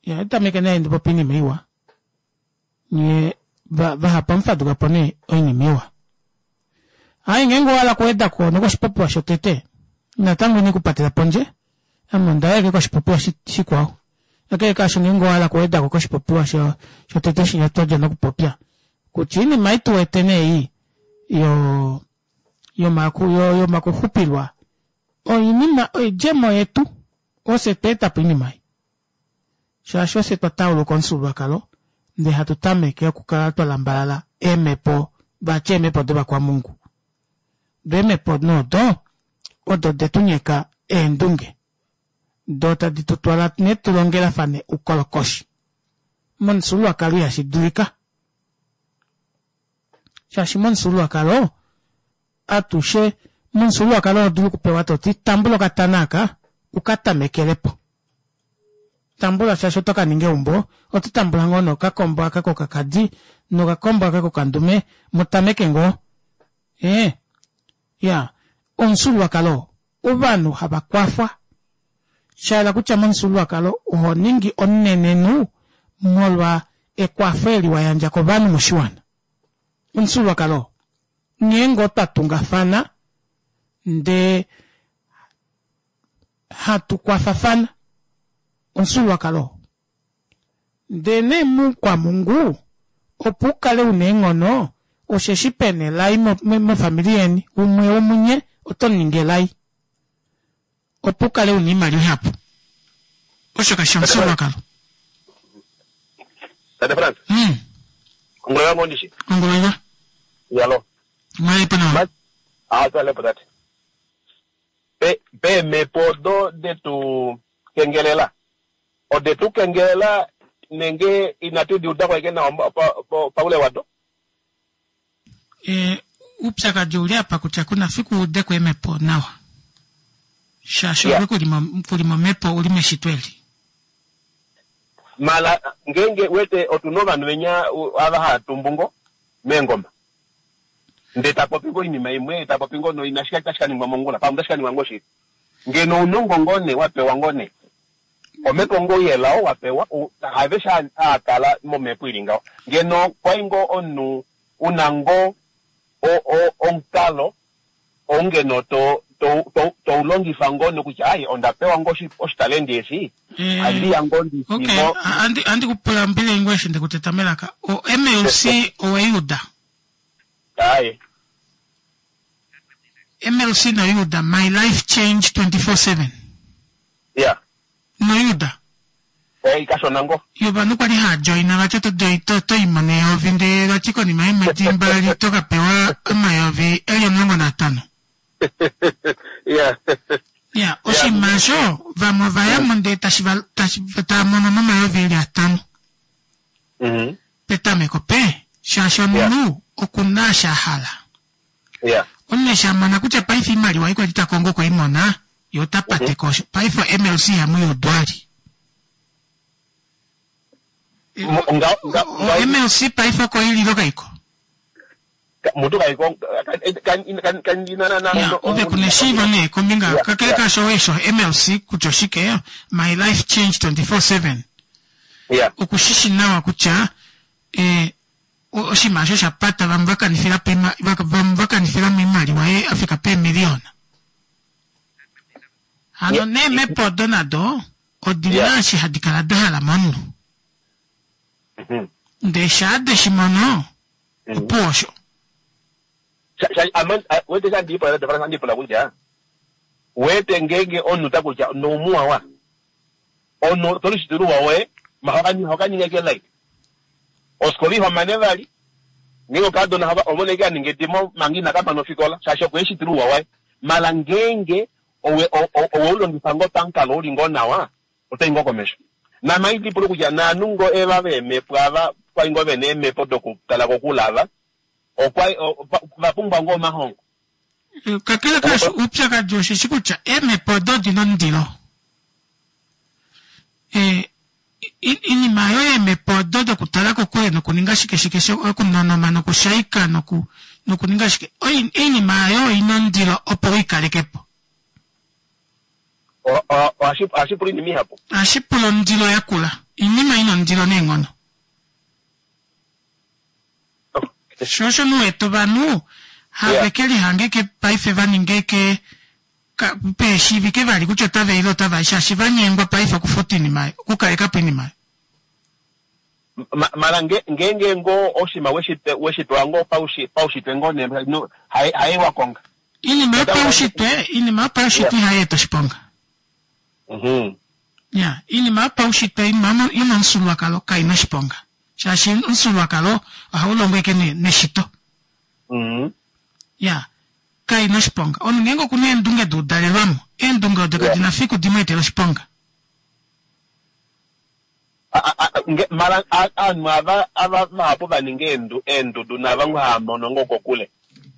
Ya tameke nee ndi popi iinima iwa. Nye vahapu amu faduka po nee oinima iwa. Ai ngeenge owa hala okuweda ko nokoshipopiwa shotete, natango ine ku patela pondje, ame onda ya koshipopiwa shikwao. Kakele kaasho ngeenge owa hala okuweda ko koshipopiwa shotete shinya twa dja nokupopya, kutya oinima ei tu wete nee ei yo yomakuxupilwa oinima oidjemo yetu, ofye twa eta po oinima ei. Shaashi ofye twa tauluka omufyuululwakalo ndee hatu tameke okukala twa lambalala eemhepo vati eemhepo dovakwamungu. Do eemhepo nee odo odo de tu nyeka eendunge do tadi tu twala nee tu longelafane oukolokoshi. Momufyuululwakalo ihashi dulika. Shaashi momufyuululwakalo atushe momufyuululwakalo oho dulu okupewa to ti tambula okatana aka u ka tamekele po. Tambula shaashi oto ka ninga eumbo, oto tambula ngoo nokakombo aka kokakadi nokakombo aka kokandume mu tameke ngoo. Ee, ya, omufyuululwakalo ovanhu hava kwafwa. Sha yela kutya momufyuululwakalo oho ningi omunenenhu molwa ekwafo eli wa yandja kovanhu moshiwana. Omufyuululwakalo nghee ngoo twa tungafana ndee hatu kwafafana omufyuululwakalo oo. Ndee nee muukwamungu opo u kale una eenghono osheshi pena elai mofamili yeni umwe womunye oto mu ningi elai opo u kale una oimaliwa ihapu. Osho kashi shi omufyuululwakalo? Tate Frans. Ongula ngoo ndishi. Ongula. Yalo. Mwalepo nawa. Ah, twalepo tate. Pe peemhepo odo detu kengelela. Ode tu kengelela nenge inatu di uda ko ashike nawa paule wado? E, oupyakadi ouli apa kutya ku na fiku u ude ko eemhepo nawa. Shaashi ove ku li momhepo u li meshito eli. Mala ngeenge wete otu na ovanhu venya ava hava tumbu ngo meengoma ndee ta popi ngo oinima imwe ta popi ngo noina shi tashi ka ningwa mongula pamwe otashi ka ningwa ngo shili. Ngeno ounongo ngoo nee wa pewa ngoo nee omhepo ngoo yelao wa pewa haveshe haa kala momhepo ili ngaho. Ngeno kwai ngoo omunhu una ngoo omukalo ou ngeno to to to u longifa ngoo nokutya ai onda pewa ngoo oshitalenti eshi handi ya ngoo ndi okay andi andi kupula mbili ngoo eshi ndekuteta melaka o MLC oweiuda aye MLC noyuuda my life change 24/7 yeah noyuuda Eh, kashona ngo yo ovanhu kwali haa joina vati oto to to i mono eyovi ndee vati konima yeemwedi mbali to ka pewa omayovi eli 15 yeah ya oshinima osho vamwe ova yamo ndee tashi va tashi tava mono nomayovi eli atano petameko pe shaashi omunhu oku na eshi a hala Yeah. Omunhu eshi a mona kutya paife oimaliwa ei kwali ta kongo okwe i mona, ye ota pate ko osho. Paife o-MLC ihamu i udwali. O-MLC paife oko i li ile kaiko? Mutu kaiko Ya, ove ku na eshiivo nee kombinga kakele kaasho owe sho MLC kutya oshike, My Life Change 24/7. Yeah. Oku shi shi nawa kutya eh, Oshinima osho osha pata vamwe va kanifila po vamwe va kanifila mo oimaliwa ye a fika peemiliyona. Hano neemhepo odo nado odi na eshi hadi kala da hala momunhu. Mhm. Ndee shaa de shi mono, mhm. opuwo osho. Wete sha ndiipula ndiipula kutya wete ngeenge omunhu ta kutya noumuwawa Omunhu to lishitile ouwa woye, ma hoka ninga ashike like. Ofikola iho mane vali. Ngeenge okaadona hava omona ashike a ninga edimo manga ina ka mana ofikola shaashi okwe lishitila ouwa waye. Mala ngeenge owe owe u longifa ngoo pamukalo uli ngoo nawa, oto i ngoo komesho. Naame ohandi lipula kutya naanhu ngoo eva veemhepo ava kwali ngoo vena eemhepo dokukala kokule ava, okwa va pumbwa ngoo omahongo. Kakele kaasho, oupyakadi osheshi kutya eemhepo odo odi na omundilo. Oinima oyo yeemhepo odo dokutala kokule nokuninga shike shike sho okunonoma nokushaika noku nokuninga shike oinima ayo oina ondilo opo u i kaleke po. Ohashi pula oinima ihapu. Ohashi pula ondilo yakula. Oinima ina ondilo neenghono. Sho osho nu wete ovanhu have ke lihange ke paife va ninge ke peeshiivike vali kutya otava ile otava i shaashi va nyengwa paife okufuta oinima oyo, okukaleka po oinima oyo. Mara ngeenge ngoo oshinima weshi pewa ngoo paushitwe ngoo nee haye wa konga. Iinima yopaushitwe, iinima yopaushitwe ihayi eta oshiponga. Mhm. Ya, iinima yopaushitwe iinima yomomufyuululwakalo kai na oshiponga. Shaashi omufyuululwakalo ohawu longo ashike neshito. Mhm. Ya, kai na oshiponga. Omunhu ngeenge oku na eendunge duudalelwamo, eendunge odo kadi na fiku di mu etele oshiponga. Mara aanhu ava ava vahapu va ninga eendudu naava ngo haa mono ngoo kokule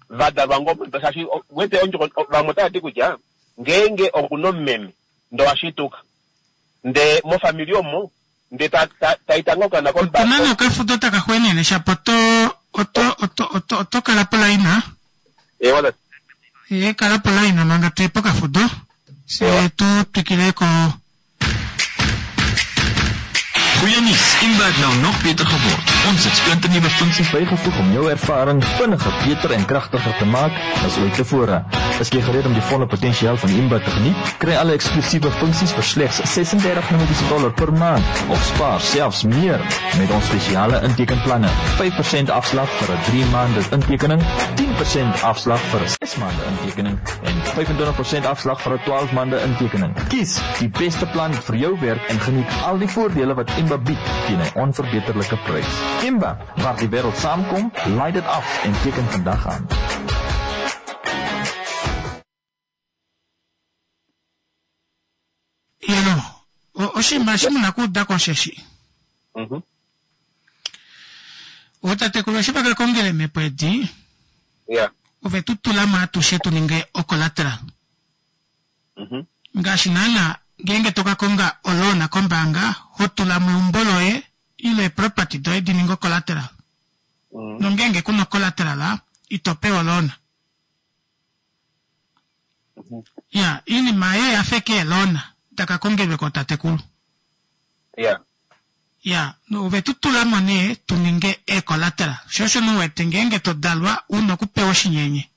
va dalwa ngoo shaashi wete ondjoko vamwe otava ti kutya ngeenge oku na omumeme ndee owa shituka ndee mofamili omo ndee ta ta ta ngoo okaana Otu na nee okafudo taka xweenene shapo oto oto oto oto oto kala polaina. Ewa tate. Ee kala polaina manga tuye pokafudo fye tu twikile ko. Goeie nuus, Imba het nou nog beter geword. Ons het splinternuwe funksies bygevoeg om jou ervaring vinniger, beter en kragtiger te maak as ooit tevore. Is jy gereed om die volle potensiaal van Imba te geniet? Kry alle eksklusiewe funksies vir slegs 36 Namibiese dollar per maand of spaar selfs meer met ons spesiale intekenplanne. 5% afslag vir 'n 3 maande intekening, 10% afslag vir 'n 6 maande intekening en 25% afslag vir 'n 12 maande intekening. Kies die beste plan vir jou werk en geniet al die voordele wat Imba bied teen 'n onverbeterlike prys. Imba, waar die wêreld saamkom, laai dit af en teken vandag aan. Yeno, oshinima eshi mu na okuuda ko osheshi. Ootatekulu eshi va ka kongela eemhepo edi, ove tu tula mo atushe tu ninge ocollateral. Ngaashi naana ngeenge to ka konga oloan kombaanga, ho tula mo eumbo loye ile eeproperty doye di ninge ocollateral. Nongeenge ku na ocollateral, ito pewa oloan. Ya, iinima ayo oya fa eke eeloan da ka kongelwe kootatekulu. Ya, ove tu tula mo nee tu ninge eecollateral. Sho osho nee u wete ngeenge to dalwa u na okupewa oshinyenye.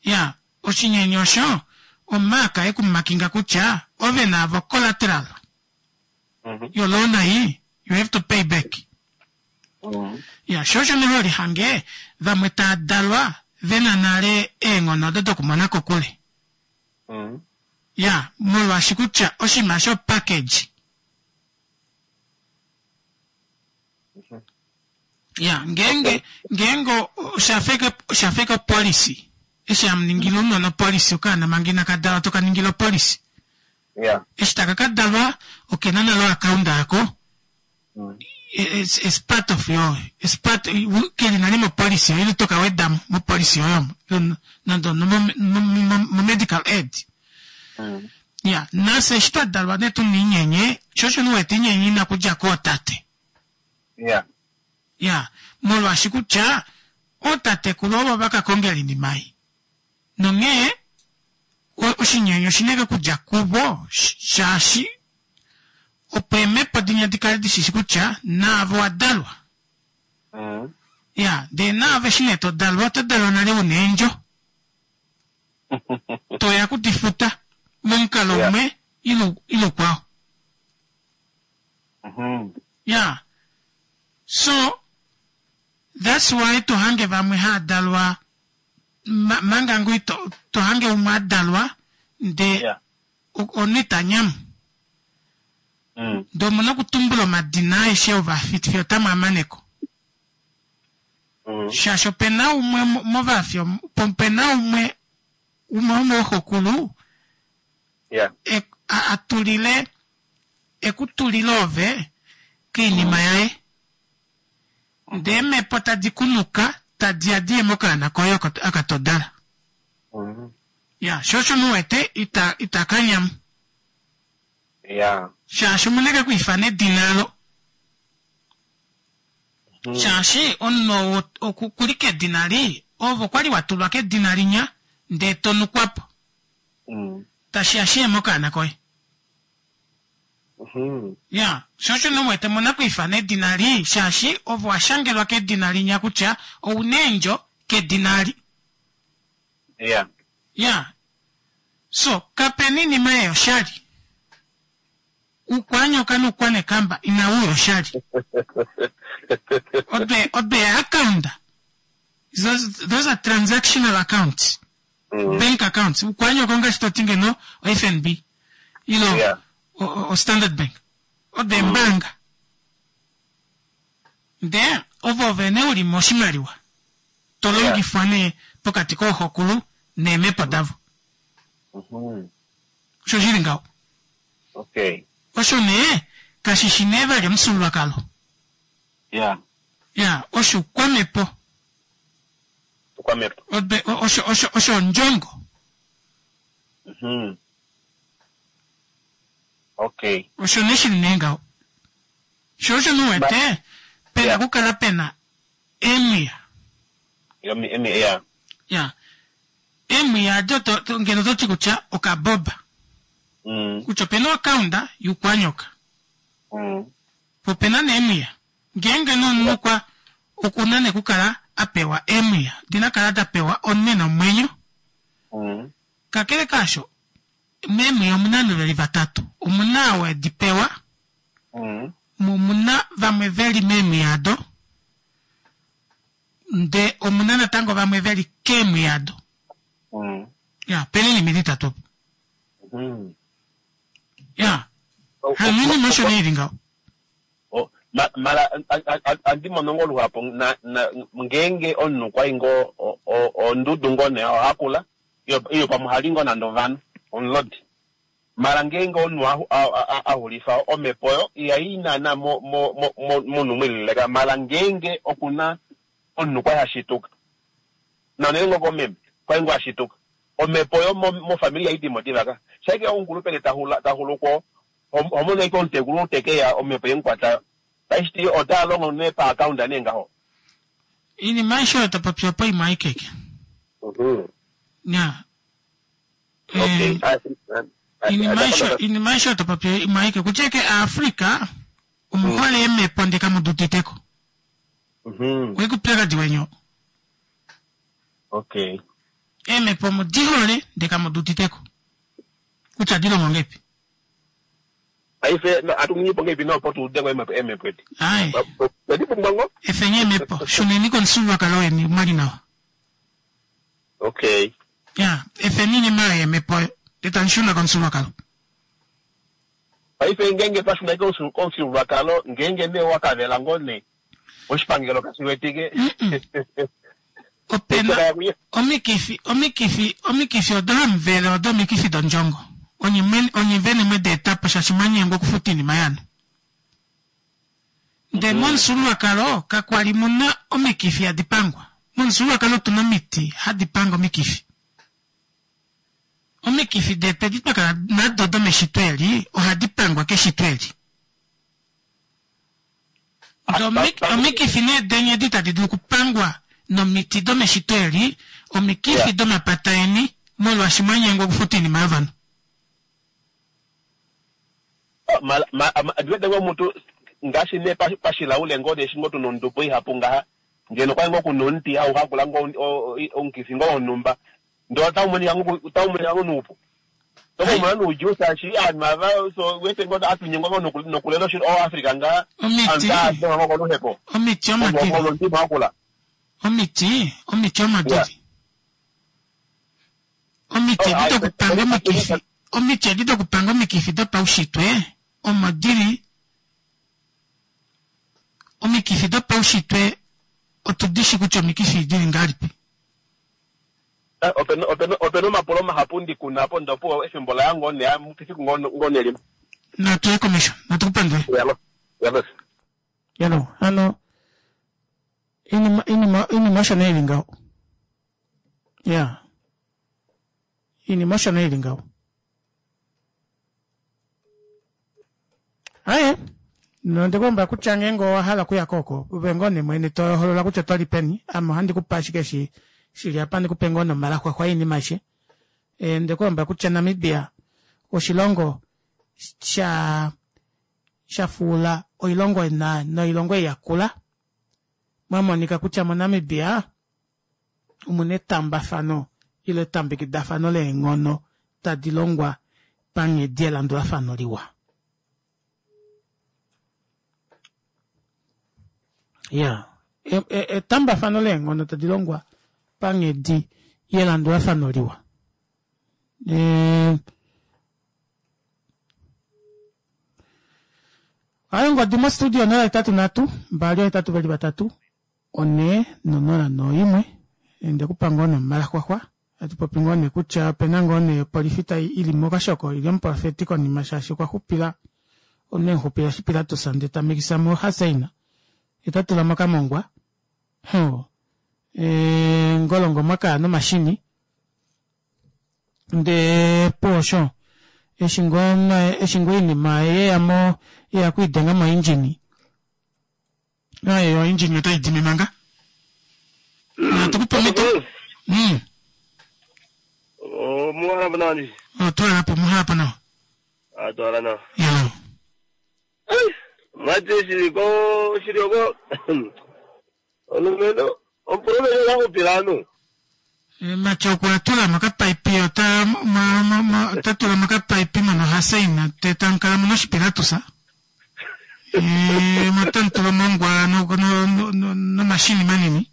Ya, oshinyenye osho omark yekumakinga kutya ove naavo collateral yoloan ei, you have to pay back. Ya, sho osho nee ho lihange vamwe taa dalwa ve na nale eenghono odo dokumona kokule. Ya, molwaashi kutya oshinima osho package. Ya, ngeenge, ngeenge osha feka, osha feka opolisi. Eshi hamu ningile ounona opolisi, okaana manga inaka dalwa to ka ningile opolisi. Eshi taka ka dalwa, oke na nale oakaunda yako. It's, it's part of your, it's part, ke li nale mopolisi yoye, ile to ka weda mo mopolisi yoye omo, nande mo-medical aid. Ya, nafye eshi twa dalwa nee tu na inyenye, sho osho nee u wete inyenye ina kudja kootate. Ya, molwaashi kutya ootatekulu ovo va ka kongela oinima ei. Nonghee oshinyenye oshi na okudja kuvo shaashi opo eemhepo dinya di kale di shi shi kutya naave owa dalwa. Ya, ndee naave eshi nee to dalwa oto dalwa nale u na eendjo. To ya ku di futa momukalo umwe ile ukwao. Ya, so that's why to hange vamwe haa dalwa manga ngoo ito to hange umwe a dalwa nde omunhu ita nyamu. Ndee omuna okutumbula omadina aeshe ovafi fiyo otamu a mane ko. Shaashi ope na umwe movafi ope na umwe umwe womooxokulu a tulile e ku tulile ove koinima yaye. Ndee eemhepo tadi ku nuka, tadi ya di ye mokaana koye oko aka to dala. Ya, sho osho mu wete ita, ita ka nyamu. Ya. Shaashi omu na ke ku ifana edina alo. Shaashi omunhu ou oku li kedina lii, ove okwa li wa tulwa kedina linya ndee to nukwa po. Tashi ya shiye mokaana koye. Ya, sho osho nee u wete mu na okwiifana edina lii shaashi ove wa shangelwa kedina linya kutya ou na eendjo kedina ali. Ya. Ya. So, kapena iinima ei oshali. Uukwanyoka nuukwanekamba inawu uya oshali. Ode, ode account. Those, those are transactional accounts. Bank accounts. Uukwanyoka ongaashi to ti ngeno o FNB. Ilo Yeah. o, o, o Standard Bank. Ode embaanga. Ndee ovo vene u li moshimaliwa. To longifwa nee pokati kooxokulu neemhepo davo. Osho shi li ngaho. Okay. Osho nee kashi shi nee vali omufyuululwakalo. Ya. Ya, osho oukwamhepo. Oukwamhepo. Ode, osho, osho, osho ondjongo. Okay. Osho nee shi li nee ngaho. Sho osho nee u wete pe na okukala pe na eemwiya. Ya. Ya. Eemwiya ado to, to, ngeno oto ti kutya okaboba. Kutya opena oakaunda yuukwanyoka. Po opena nee eemwiya. Ngeenge nee omunhu okwa, okuna nee okukala a pewa eemwiya. Dina kala da pewa omunhu ena omwenyo. Kakele kaasho, meemwiya omuna ovanhu veli vatatu. Omuna ou edi pewa, mo omuna vamwe veli meemwiya ado. Nde omuna natango vamwe veli keemwiya ado. Ya, pena oinima ili itatu opo. Ya. Hano oinima osho nee ili ngaho. Mara andi mono ngoo luhapu na, na, ngeenge omunhu okwa i ngoo ondudu ngoo nee oha kula, iyo pamwe ohali ngoo nande ovanhu, omulodi. Mara ngeenge omunhu a xulifa omhepo oyo ihai naana momunhu mwilileka mara ngeenge okuna omunhu kwali ha shituka na unene ngoo komeme kwali ngoo ha shituka omhepo oyo mofamili ihai dimo diva ka shaike omukulupele ta xulu ko ho mono ashike omutekulu tekeya omhepo yemukwata tashiti ota longo nee pa account nee ngaho. Iinima aishe oyo to popi opo imwe aikeke. Ya. Okay. Iinima aishe oyo to popi imwe aike. Kutya eke Aafrika omuhole eemhepo ndee kamu di uditeko. Oike oupyakadi weni oo. Okay. Eemhepo omu di hole ndee kamu di uditeko. Kutya odi longo ngahelipi. Paife atu ningi po ngahelipi nee opo tu ude ko eemhepo edi? Aye. Otwe di pumbwa ngoo? Efeni eemhepo. Shuneni komufyuululwakalo weni mwali nawa. Okay. Ya, efeni oinima oyo yeemhepo oyo, ndee tamu shuna komufyuululwakalo. Paife ngeenge twa shuna komufyuululwakalo, ngeenge nee owa ka vela ngoo nee, oshipangelo kashi wetike. Ope na omikifi, omikifi, omikifi odo hamu vele odo omikifi dondjongo. Onye mwene, onye vene mwe di eta po shaashi mwa nyengwa okufuta oinima yanu. Ndee momufyuululwakalo kakwa li mu na omikifi hadi pangwa. Momufyuululwakalo otu na omiti hadi pange omikifi. Omikifi detu edi twa kala nado domeshito eli ohadi pangwa keshito eli. Ndee omikifi nee deni edi tadi dulu okupangwa nomiti domeshito eli, omikifi domapata eni molwaashi mwa nyengwa okufuta oinima yovanhu. Ondi wete ngoo mutu ngaashi nee pashilaule ngoo nee eshi ngoo tuna ondubo ihapu ngaha, ngeno okwali ngoo kuna omuti hau hakula ngoo omukifi ngoo wonhumba ndee otau monika ngoo noupu. Oto ka umona noudjuu shaashi ovanhu ava so wete ngoo atu nyengwa ngoo nokulela oAfrica ngaha, Omiti, ovanhu tava dengwa ngoo koluhepo omiti omo dili. Omuti wakula. Omiti, omiti omo dili. Omiti edi dokupanga omikifi, omiti edi dokupanga omikifi dopaushitwe omo dili. Omikifi dopaushitwe otu di shi kutya omikifi dili ngahelipi. Opena omapulo mahapu ndi kuna po ndopo efimbo laya ngoo nee efiku ngoo nee limwe. Natu ye komesho, natu ku pandule. Yalo, yalo. Yalo, hano inima inima inima osho nee ili ngaho. Ya. Inima osho nee ili ngaho. Aye. Nonde kulombwela kutya ngeenge owa hala okuya ko oko, ove ngoo nee mwene to holola kutya oto li peni, ame ohandi ku pe ashike eshi shi li apa, ndi ku pe ngoo nee omalaxwaxwa oinima aishe. Eh, nde kulombwela kutya Namibia oshilongo sha sha fuula oilongo na noilongo ei yakula. Mwa monika kutya moNamibia omu na etambafano ile etambekidafano leenghono tadi longwa panghedi yelandulafano liwa. Ya, etambafano leenghono tadi longwa panghedi yelandulafano liwa. E, ayo ngodi mostudio 083 282 4 0 1 ende kupa ngoo nee omalaxwaxwa atu popi ngoo nee kutya opena ngoo nee opolifi tai ili mokashoko ili omuprofeti konima shaashi okwa xupila omunhu emuxupila eshi Pilatus ndee ta mikisa mo Haseina ye ta tula mokamongwa ho e, ngolongo mwakaya nomashini ndee poosho eshi ngoo eshi ngoo oinima yeya mo yeya kwiidenga moindjini Aye, yo engine otai dimi manga. Natu ku pomito. Oh, muhala po nawa ndi. Oh, twala po muhala po nawa. Ah, twala nawa. Ya. Ai, mwati shili ko shili oko. Omulumenhu, omulumenhu ota xupile ovanhu. Mati okwa tula mo okapaipi ota ota tula mo okapaipi mono haseina te tamu kala mu na oshipilatusa mo otamu tulwa omongwa nomashini manini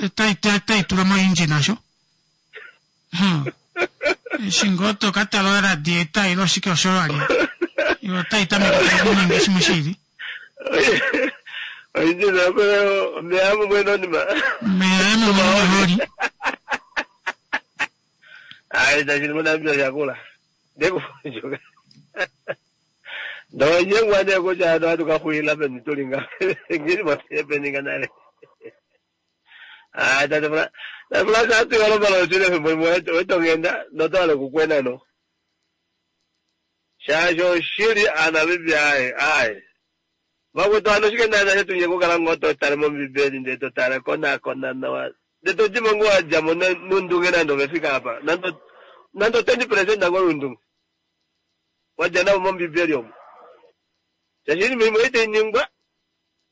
otai tulwa moindjina osho eshi ngoo to ka tala oradieta ile oshike osho wa lya yo otai tameke okuninga shimwe shi ili Oinjina omeya mumwe nonima omeya mumwe nomahooli ayi tashili moNamibia oshakula ndekufundjuka ndonyengwa nee kutya ano hatu ka xulila peni tuli nga ngili motepeni nga nale Ah, tate Fra- tate Frans atu yolo balo chile fimbo imwe wetongenda notwale kukwena no. Shaashi oshili Aanamibia aye aye. Vakwetu hano oshike naana shetu nye kukala ngoo to tale mOmbibeli ndele to tale konakona nawa ndele to dimo ngoo wa dja mo nondunge nande ove fika apa nande nande o 20% ngoo yondunge wa dja navo mOmbibeli omo. Shaashi oinima imwe ei tai ningwa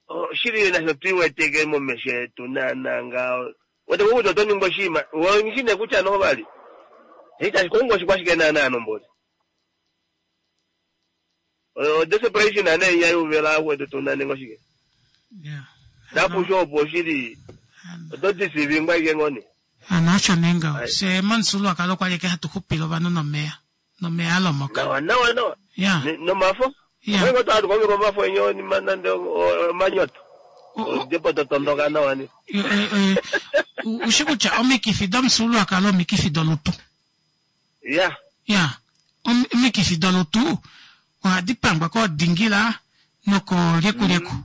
Oshili nasho tu iweteke momesho etu naanaa ngaho. Wete ko kutya oto ningi oshinima, ove nghi nee kutya noho vali. Itashi kongo oshikwashike naanaa nomboli. O desperation nee inya yuvela akwetu tu nane ngoshike. Napusho opo oshili oto disivingwa ike ngoni. Hano osho nee ngaho. Fye momufyuululwakalo okwali eke hatu xupile ovanhu nomeya. Nomeya a lomoka. Nawa nawa nawa. Ya. Nomafo. Ya. Omwe ngo hatu kongela omafo enye onima nande omanyoto. Odepo to tondoka nawa ni. Ushi kutya omikifi domufyuululwakalo omikifi dolutu. Ya. Ya. Omikifi dolutu ohadi pangwa koodingila nokoolyekulyeku. Mm.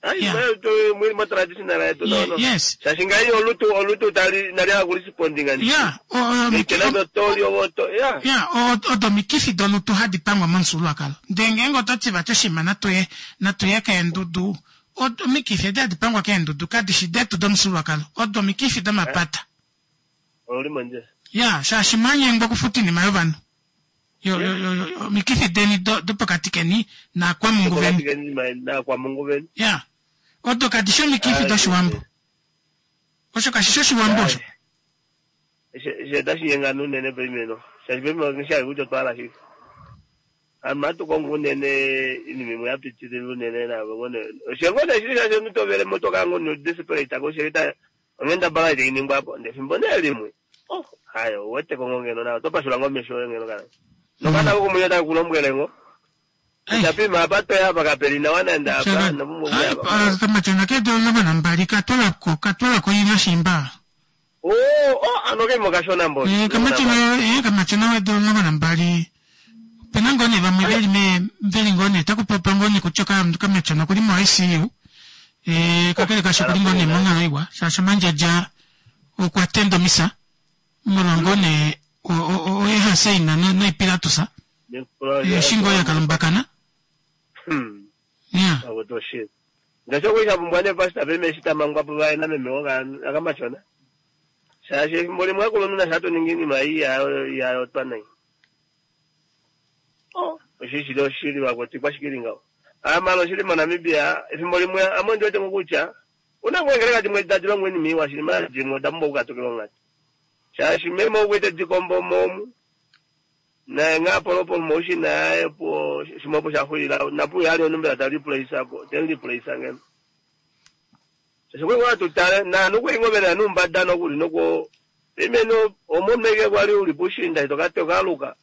Ai, mo traditional yetu no no. Yes. Shaashi ngai olutu olutu tali nali hakulisipondinga ndi. Ya, ya, odo omikifi dolutu hadi pangwa momufyuululwakalo. Ndele ngeenge oto ti vati oshinima natuye natuye keendudu, omikifi edi hadi pangwa keendudu kadi shi detu domufyuululwakalo, odo omikifi domapata. Ouli mondjila. Ya, shaashi mwa nyengwa okufuta oinima yovanhu. Yo, yo, yo, yo, omikifi deni do, dopokati keni naakwamungu veni. Dopokati keni naakwamungu veni. Ya. Odo kadi shi omikifi dOshiwambo. Osho kashi shi Oshiwambo osho. She otashi nyengana unene paimeno. Shaashi paimeno ngishi hayi kutya otwa hala shike. Ame ohatu kongo unene iinima imwe ya pitilila unene naave ngoo nee. Osho ngoo nee shili shaashi omunhu to vele mo oto kala ngoo nee desperate ko shili ta onghendabala itai ningwa po ndele efimbo nee limwe oh hayo ou wete ko ngoo ngeno nawa oto pashula ngoo omesho oye ngeno kana nokana kokomwenyo otake ku lombwele ngoo kutya pima apa toya apa kapeli nawa nande apa ino pumbwa okuya apa. Kamatyona keedula 12 katwalako katwalako ina shimba. Oh, oh, ano keimo kashona mboli. Eh, kamatyona eh, kamatyona weedula 12 opena ngoo nee vamwe veli me veli ngoo nee taku popiwa ngoo nee kutya kamatyona okuli mo ICU eh, kakele kasho okuli ngoo nee monghalo iwa shaashi omandjadja okwa tenda omisa molwa ngoo nee oye haseina noipilatusa eshi ngoo ya kalumbakana. Akuti oshili. Ngaashi okuli sha pumbwa nee pastor peme eshi ta mangwa po vaye nameme wokamatyona. Shaashi efimbo limwe akulunhu nasha hatu ningi iinima ei ya yotwa nai. Oh, oshili shili oshili vakwetu ikwashike ili ngaho. Aa mala oshili moNamibia efimbo limwe ame ondi wete ngo kutya una ngoo eengeleka dimwe tadi longo oinima iwa shili mala dimwe oda pumbwa okukatukilwa onghatu. Shaashi meme ou kwete dikombo omu naye ngaa polopo moushina yaye opo shimwe opo sha xulila napu ali omunhu mbela ta replace po temu replace ngeno. Shaashi okwe ngoo atu tale naanhu okwe ngoo vena nuumbada nokuli noko imeno omunhu eke kwali uli pushinda ito kate okaluka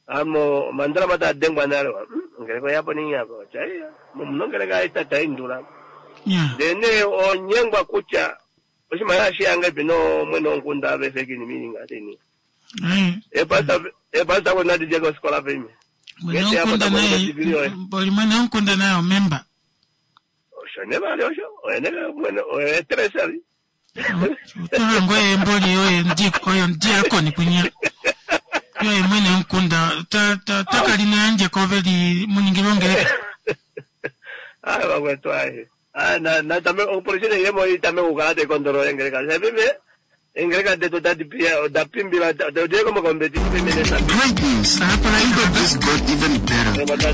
amo omandalama taa dengwa nale wa ongeleka oyapo nini apa otya momuno ongeleka ayi tata indula ndee nee onyengwa kutya oshimaliwa shiyange no mwene womukunda ave feki ni mininga tini epasta ko nadi je kosikola pime Mwene womukunda naye mboli mwene womukunda naye omemba. Osho ne vali osho oyene mwene oye treasury. Otola ngoye mboli oye ndi oyo ndiakoni kwinya. Yoye mwene womukunda ta ta ta kali nayandje ko veli muningilwa ongeleka. Ayi vakwetu ayi. Ayi na na tame opolisi neyemo itame okukala tayi kondolola engeleka. Shapime engeleka detu otadi piya oda pimbila odiye komakombeti pimene sa. Great news! Imba just got even better.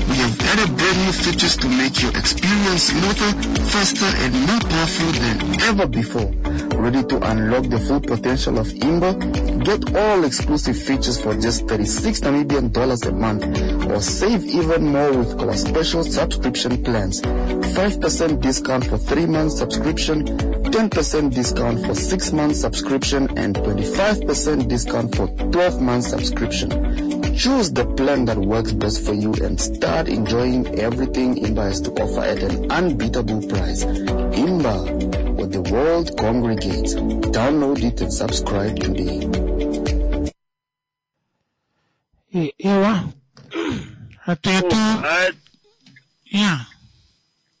We have added brand new features to make your experience smoother, faster, and more powerful than ever before. Ready to unlock the full potential of Imba? Get all exclusive features for just 36 Namibian dollars a month, or save even more with our special subscription plans. 5% discount for 3 months subscription, 10% discount for 6 months subscription, and 25% discount for 12 months subscription. Choose the plan that works best for you and start enjoying everything Imba has to offer at an unbeatable price. Imba, where the world congregates. Download it and subscribe today. Ewa. Hatu yetu. Ya.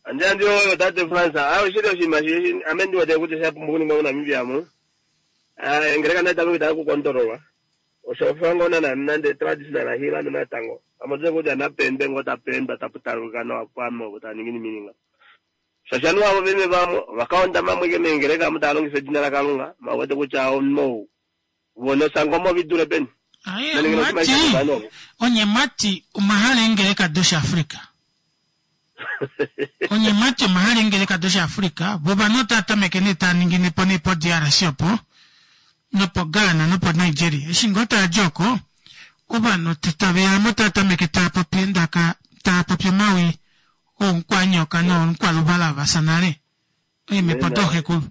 Andi andi oyo tate France ayo shili oshinima shi ame ndi wete kutya sha pumbwa okuningwa moNamibia mu. Ah, engeleka nayi tameke tayi kukondololwa. Osho fa ngoo nana nande traditional healer natango. Amotse kutya napembe ngoo tapemba taputaluka nawa pwame opo taningi nimininga. Shaashi ovanhu avo vene vamwe vakaondama mweke meengeleka amu tava longifa edina laKalunga mawete kutya omunhu vonosango vidule peni. Aye, mwati onye mwati omahala eengeleka doshaAfrika. Onye mwati omahala eengeleka doshaAfrika vo ovanhu otava tameke nee tava ningi nepo nee po DRC opo nopo Ghana nopo Nigeria. Eshi ngoo tava di oko ovanhu tave tava tameke tava popi endaka tava popi omawi oonkwanyoka noonkwaluvala vasa nale eemhepo dooxekulu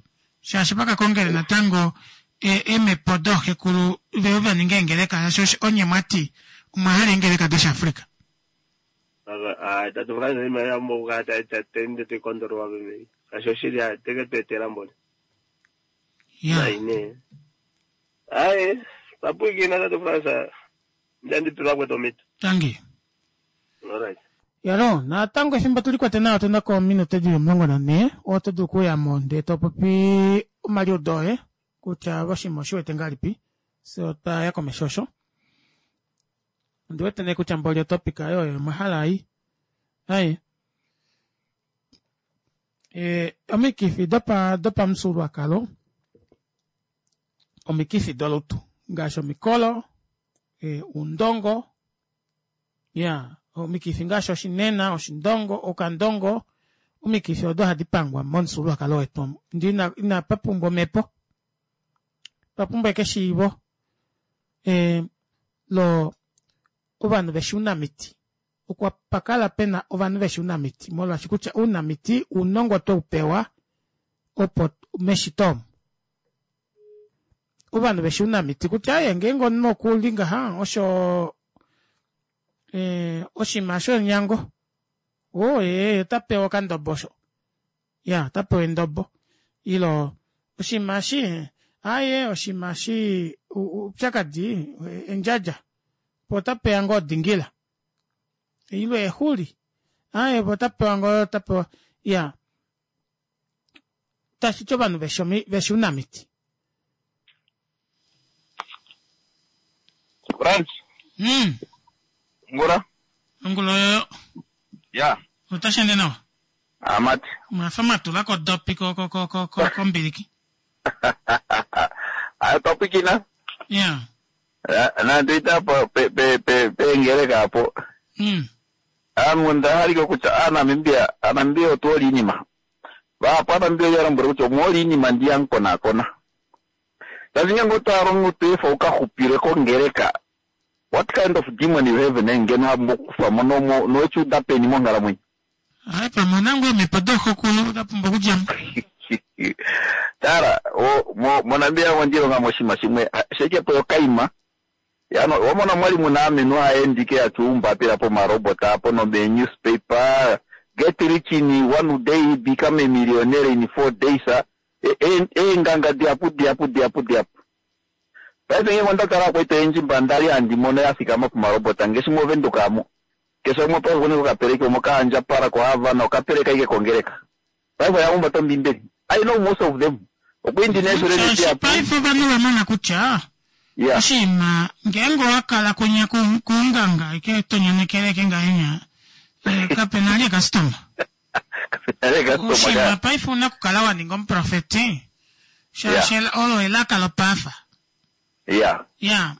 shaashi vakakongele natango eemhepo dooxekulu veo vaninga eengeleka shaashi onye mwati omwa hala eengeleka doshaAfrika. Tatu France iimaliwa ya pumbwa okukala tayi tayi kondololwa pemei. Shaashi oshili teke tu etela mboli. Nai nee. Aye, papwikina tate France ndandipilwa kwetu omito. Tangi. Alright. Yalo, natango efimbo tuli kwete nawa otuna ko ominute dili 14, oto dulu okuyamo ndee to popi omaliudo oye kutya oshinima oshi wete ngahelipi, se otwa ya komesho osho. Ondi wete nee kutya mboli otopic ayo oyo mwa hala ai. Ai. Omikifi dopa dopamufyuululwakalo, omikifi dolutu ngaashi omikolo, uundongo, ya omikifi ngaashi oshinena, oshindongo, okandongo, omikifi odo hadi pangwa momufyuululwakalo wetu omu. Ndi ina, ina pa pumbwa omhepo, pa pumbwa ekeshiivo lo ovanhu veshi ounamiti. Okwa pakala pena ovanhu veshi ounamiti, molwaashi kutya ounamiti ounongo tweu pewa opo meshito omu. Ovanhu veshi ounamiti kutya aye ngeenge omunhu okuli ngaha osho oshinima shonyango. O ota pewa okandobo osho. Ya, ota pewa endobo. Ilo oshinima shi aye oshinima shi upyakadi endjadja. Po ota pewa ngoo odingila. Ilo exuli. Aye po ota pewa ngoo ota pewa ya. Tashi ti ovanhu veshi ounamiti. France. Ngula. Ngula oyo. Ya. Otashi ende nawa? Amati. Mwafa mwa tula ko dopi ko ko ko ko ko kombiliki. Ayo twa pwikina. Ya. Nande ita po pe pe pe peengeleka apo. Ame onda halike kutya Aanamibia Aanamibia otu hole iinima. Vahapu Aanamibia oya lombwele kutya omu hole iinima ndi hamu konakona. Shaashi ngeenge otwa hala omunhu to efa u ka xupile kongeleka, what kind of demon you have nee ngeno ha pumbwa okukufa mo no noweshi uda peni monghalamwenyo? Hai pamwe una ngoo eemhepo dooxokulu da pumbwa okudja mo. Tala, o, mo, moNamibia omo ndilonga mo oshinima shimwe, shekepo yokaima. Yano, wamona mwali muna amenhu haendike yatya oumbapila pomarobot apo nomee newspaper, get rich in one day, become a millionaire in 4 days, eenganga dihapu dihapu dihapu dihapu. Paife ngeenge onda tala akwetu oyendji mba ndali handi mono ya fikama pomarobot ngeshi moVenduka amu, keshe umwe paife okuna okapeleki omo kaandjapala koHavana okapeleka ike kongeleka. Paife oya humbata ombiimbeli. I know most of them. Okwa indi nee Shaashi dihapu. paife ovanhu va mona kutya oshinima ngeenge owa kala kunya kuunganga ike to nyanekele ike ngahenya kape na li customer. Oshinima paife una okukala wa ninga omuprofeti shaashi olo elaka lopaafa. Ya,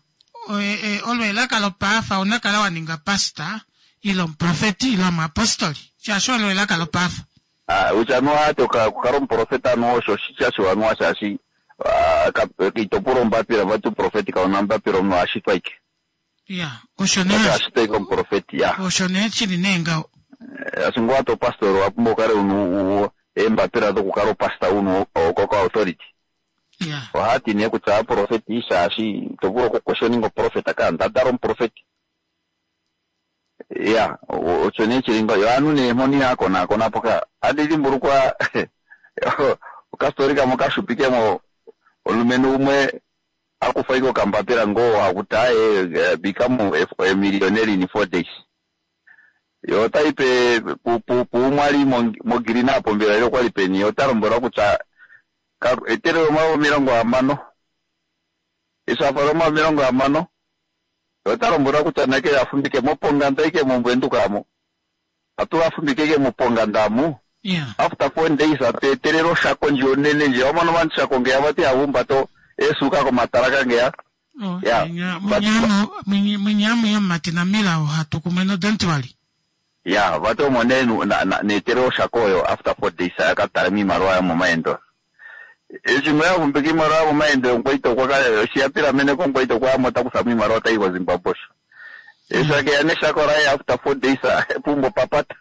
olo elaka lopaafa una kala wa ninga pastor ile omuprofeti ile omuapostoli shaashi olo elaka lopaafa. Ah, utya anuwa ati okukala omuprofeti anuwa osho oshitya shiwanuwa shaashi ito pula ombapila vati uprofeti kauna ombapila omunhu ashitwa ike. Ya, osho nee Vati ashitwa ike omuprofeti ya. Osho nee shili nee ngaho. Ashike ngoo ati opastor owa pumbwa ukale una eembapila dokukala opastor una okoko authority. Ohati nee kutya aprofeti shaashi ito vulu okuquestioninga oprofeta ka ndadala omuprofeti. Ya, osho nee shili ngaho. Yo aanhu nee mpono ihaya konaakona po ka. Andi dhimbulukwa okastori kamwe okashupi kemo omulumenhu umwe akufa ike okambapila ngoo hakuti aye become a millionaire in 4 days. Yo otayi pe puumwe ali moGreen apo mbela ile okwali peni ota lombwelwa kutya etelele 60,000. Eshi a fala 60,000 ota lombwelwa kutya nake afumbike moponganda ike moVenduka amo. Atula afumbike ike moponganda amu. After 4 days atu etelele oshako ndji onene ndji. Wamona ovanhu shako ngeya vati havumbato eesuka komatala kangeya. Ya. Munyamu yomumati namila ohatu kumwe no don't worry. Ya, vati omo nee neetelele oshako oyo after 4 days aka tale miimaliwa yomomaendo. Eshi ngo yavumbika iimaliwa yomomaendo omukwaita okwa kala eshi ya pilameneko omukwaita okwa yamo ta kufa mo iimaliwa tayi koZimbabwe osho. Eshi akeya neshako laye after 4 days pumbo papata.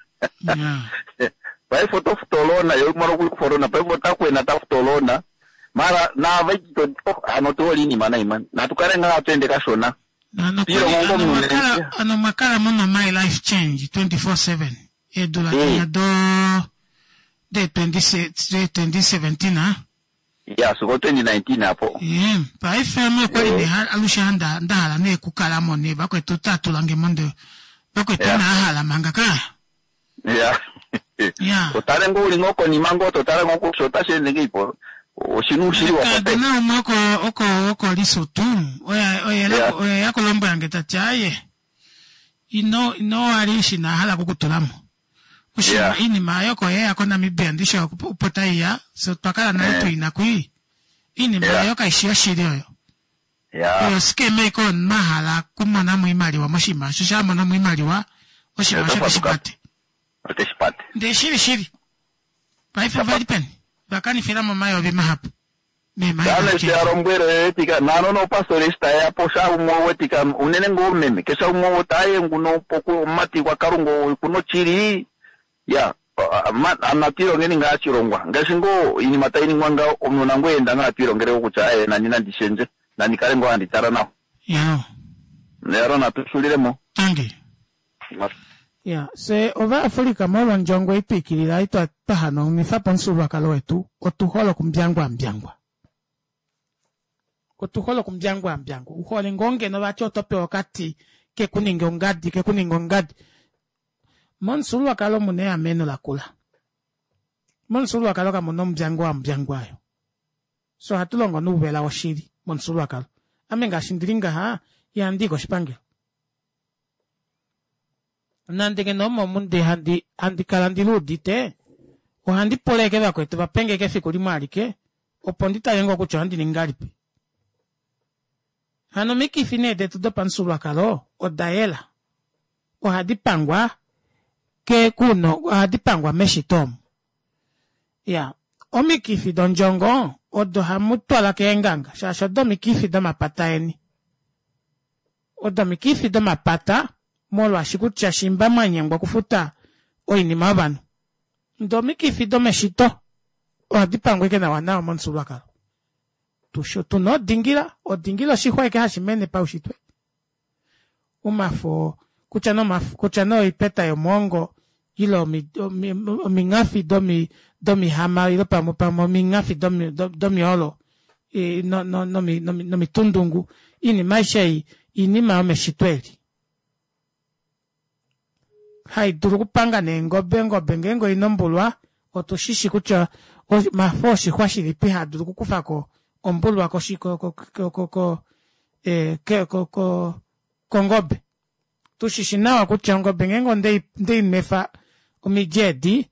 Paife oto futu oloona yo imaliwa okukufa oloona paife ota kwena ta futu oloona. Mara naava ito ano tu hole iinima nayi man. Natu kale ngaa hatu ende kashona. Piilongo ngo omunhu Ano mwa kala muno My Life Change 24/7 eedula dinya do de 2017 a. Ya, sigo 2019 apo. Ye, paife ame okwali nee alushe nda hala nee kukala mo nee vakwetu ota tulange mo nde vakwetu inaa hala manga ka. Ya. Otale ngoo uli ngoo konima ngoo totala ngoo kutya otashi ende ngei po. Oshinu ushili wa Kaadona umwe oko oko oko Lesotho oye oye oye ya kulombwela nge tati aye ino ino wali eshi ina hala okukutula mo. Oshinima iinima ayo oko yeya koNamibia ndishi opo taiya fye otwa kala nale tuina kwii. Iinima ayo kaishi yoshili oyo. Oyo scam ike omunhu a hala okumona mo oimaliwa moshinima osho sha amona mo oimaliwa oshinima osho oteshi pate. Oteshi pate. Ndee shili shili paife ovali peni vakanifila mo omayovi mahapu Dano eshi ya lombwele oyetika naano nopastori eshi tayeya po sha umwe owetika unene ngoo meme keshe umwe otaye nguno poku omumati gwaKalunga okuna oshili ya natu ilongeni ngaa shilongwa ngaashi ngoo iinima tayi ningwa ngawo omunhu nangoye enda ngaa atu ilongele kutya aye nani nandi shendje nandi kale ngoo handi tala nawa. Neyalo natu xulilemo. Tangi. Ya, fye Ovaafrika molwa ondjongo ei twa ikilila ei twa hanaunifa po omufyuululwakalo wetu, otu hole okumbyangwambyangwa. Otu hole okumbyangwambyangwa. U hole ngoo ngeno vati oto pewa okati ke ku ninge ongadi, ke ku ninge ongadi. Momufyuululwakalo omu na eameno lakula. Momufyuululwakalo kamu na ombyangwambyangwa ayo. Fye ohatu longo nouvela woshili momufyuululwakalo. Ame ngaashi ndi li ngaha, ihandi i koshipangelo. Nande ngeno omo omu ndi handi handi kala ndi luudite, ohandi pula eke vakwetu va penge eke efiku limwe alike opo ndi tale ngoo kutya ohandi ningi ngahelipi. Hano omikifi nee detu dopamufyuululwakalo oda yela. Ohadi pangwa ke kuno ohadi pangwa meshito omu. Ya omikifi dondjongo odo hamu twala keenganga shaashi odo omikifi domapata eni. Odo omikifi domapata molwaashi kutya shimba mwa nyengwa okufuta oinima yovanhu. Ndee omikifi domeshito ohadi pangwa ike nawa nawa momufyuululwakalo. Tuna odingila, odingila oshixwa eke hashi mene paushitwe. Omafo kutya nee omafo kutya nee oipeta yomwoongo ile omingafi domihama ile pamwe pamwe omingafi domyoolo nomitundungu oinima aishe ei oinima yomeshito eli. Hai dulu okupanga neengobe, ongobe ngeenge oina ombulwa otu shishi kutya omafo oshixwa shilipi haa dulu okukufa ko ombulwa koshi ko ko ko ko eh, ke ko ko kongobe. Tu shishi nawa kutya ongobe ngeenge onde ndei nwefa omidi edi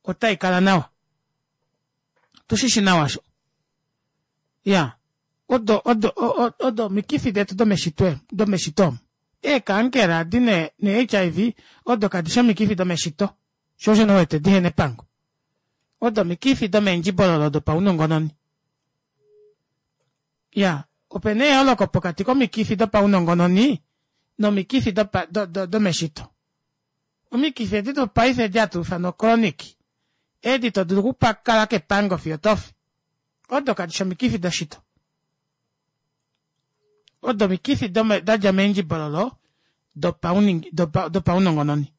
otai kala nawa. Tu shishi nawa sho. Ya odo odo odo omikifi detu domeshitwe domeshito omu. Eekaankera adi ne ne-HIV odo kadi shi omikifi domeshito, sho osho nee wete dihena epango. Odo omikifi domeendjibololo dopaunongononi. Ya, ope na eyooloko pokati komikifi dopaunongononi nomikifi dopa, do, do, domeshito. Omikifi edi dopaife edi hatu ifana ochronic, edi to dulu okukala kepango fiyo tofi, odo kadi shi omikifi doshito. Odo omikifi da dja meendjibololo dopaunongononi.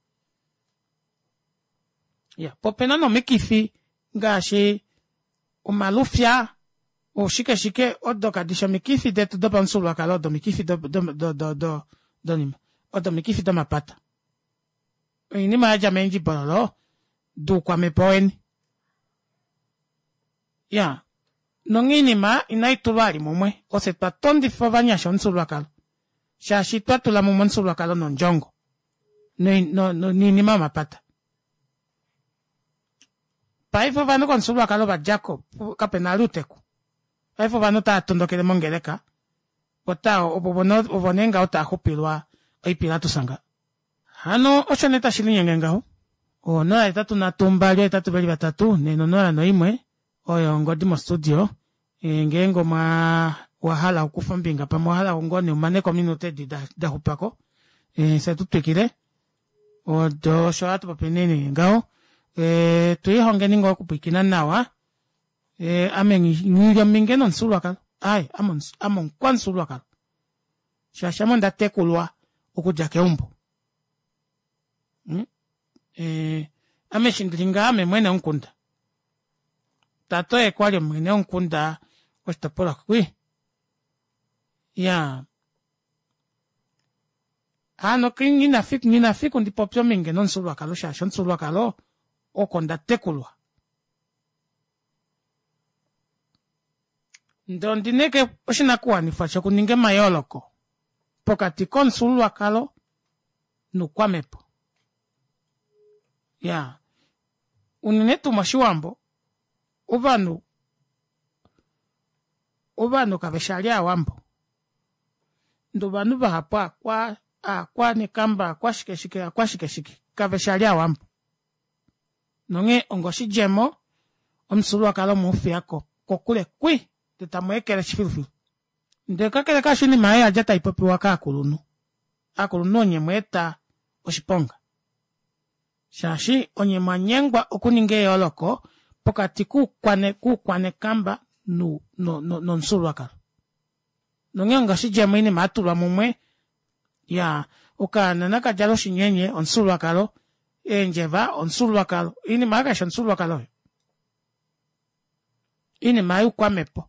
Ya, po opena nomikifi ngaashi omalufya, oshike shike, odo kadi shi omikifi detu dopamufyuululwakalo, odo omikifi donima, odo omikifi domapata. Oinima ya dja meendjibololo doukwamhepo weni. Ya, nonghee oinima inai tulwa ali mumwe. Ofye twa tondifa ovanyasha omufyuululwakalo, shaashi twa tula mumwe omufyuululwakalo nondjongo, no, no, noinima yomapata. Paife ovanhu komufyuululwakalo va dja ko, kape na ali outeku. Paife ovanhu otava tondokele mongeleka, ota, ovo, ovo nee ngaho tava xupilwa oipilatus nga. Hano osho nee tashi linyenge ngaho. 083 283 401 oyo ongodi mostudio. E, ngeenge omwa wa hala okukufa ombinga pamwe owa hala ngoo nee umane ko ominute edi da, da xupa ko e, fye tu twikile odo osho hatu popi nee ngaho e, tu lihongeni ngoo okupwiikina nawa e, ame nghi li ominge nomufyuululwakalo ai ame ame omukwamufyuululwakalo shaashi ame onda tekulwa okudja keumbo hmm? eh, ame eshi ndili ngaa ame mwene womukunda tate oye kwali omwene womukunda koshitopolwa kwi ya hano ngina fiku ndi popye ominge nomufyuululwakalo shaashi omufyuululwakalo oko nda tekulwa Ndele ondi na eke oshinakuwanifwa shokuninga emayooloko pokati komufyuululwakalo nuukwamhepo. Ya, unene tuu mOshiwambo, ovanhu ovanhu kave shi ali Aawambo. Ndele ovanhu vahapu aakwa aakwanekamba aakwashikeshike aakwashikeshike kave shi ali Aawambo. Nonghee onga oshidjemo, omufyuululwakalo omwe u fiya ko kokule kwi, ndele tamu ekeleshi filufilu. Ndele kakele kaasho oinima oyo oya dja tai popiwa kaakulunhu. Aakulunhu onye mwa eta oshiponga. Shaashi onye mwa nyengwa okuninga eyooloko pokati kuukwanekamba nomufyuululwakalo. Nonghee onga oshidjemo oinima ya tulwa mumwe, ya, okaana naka djale oshinyenye, omufyuululwakalo, eendjeva, omufyuululwakalo, oinima oyo kaishi omufyuululwakalo oyo. Oinima youkwamhepo.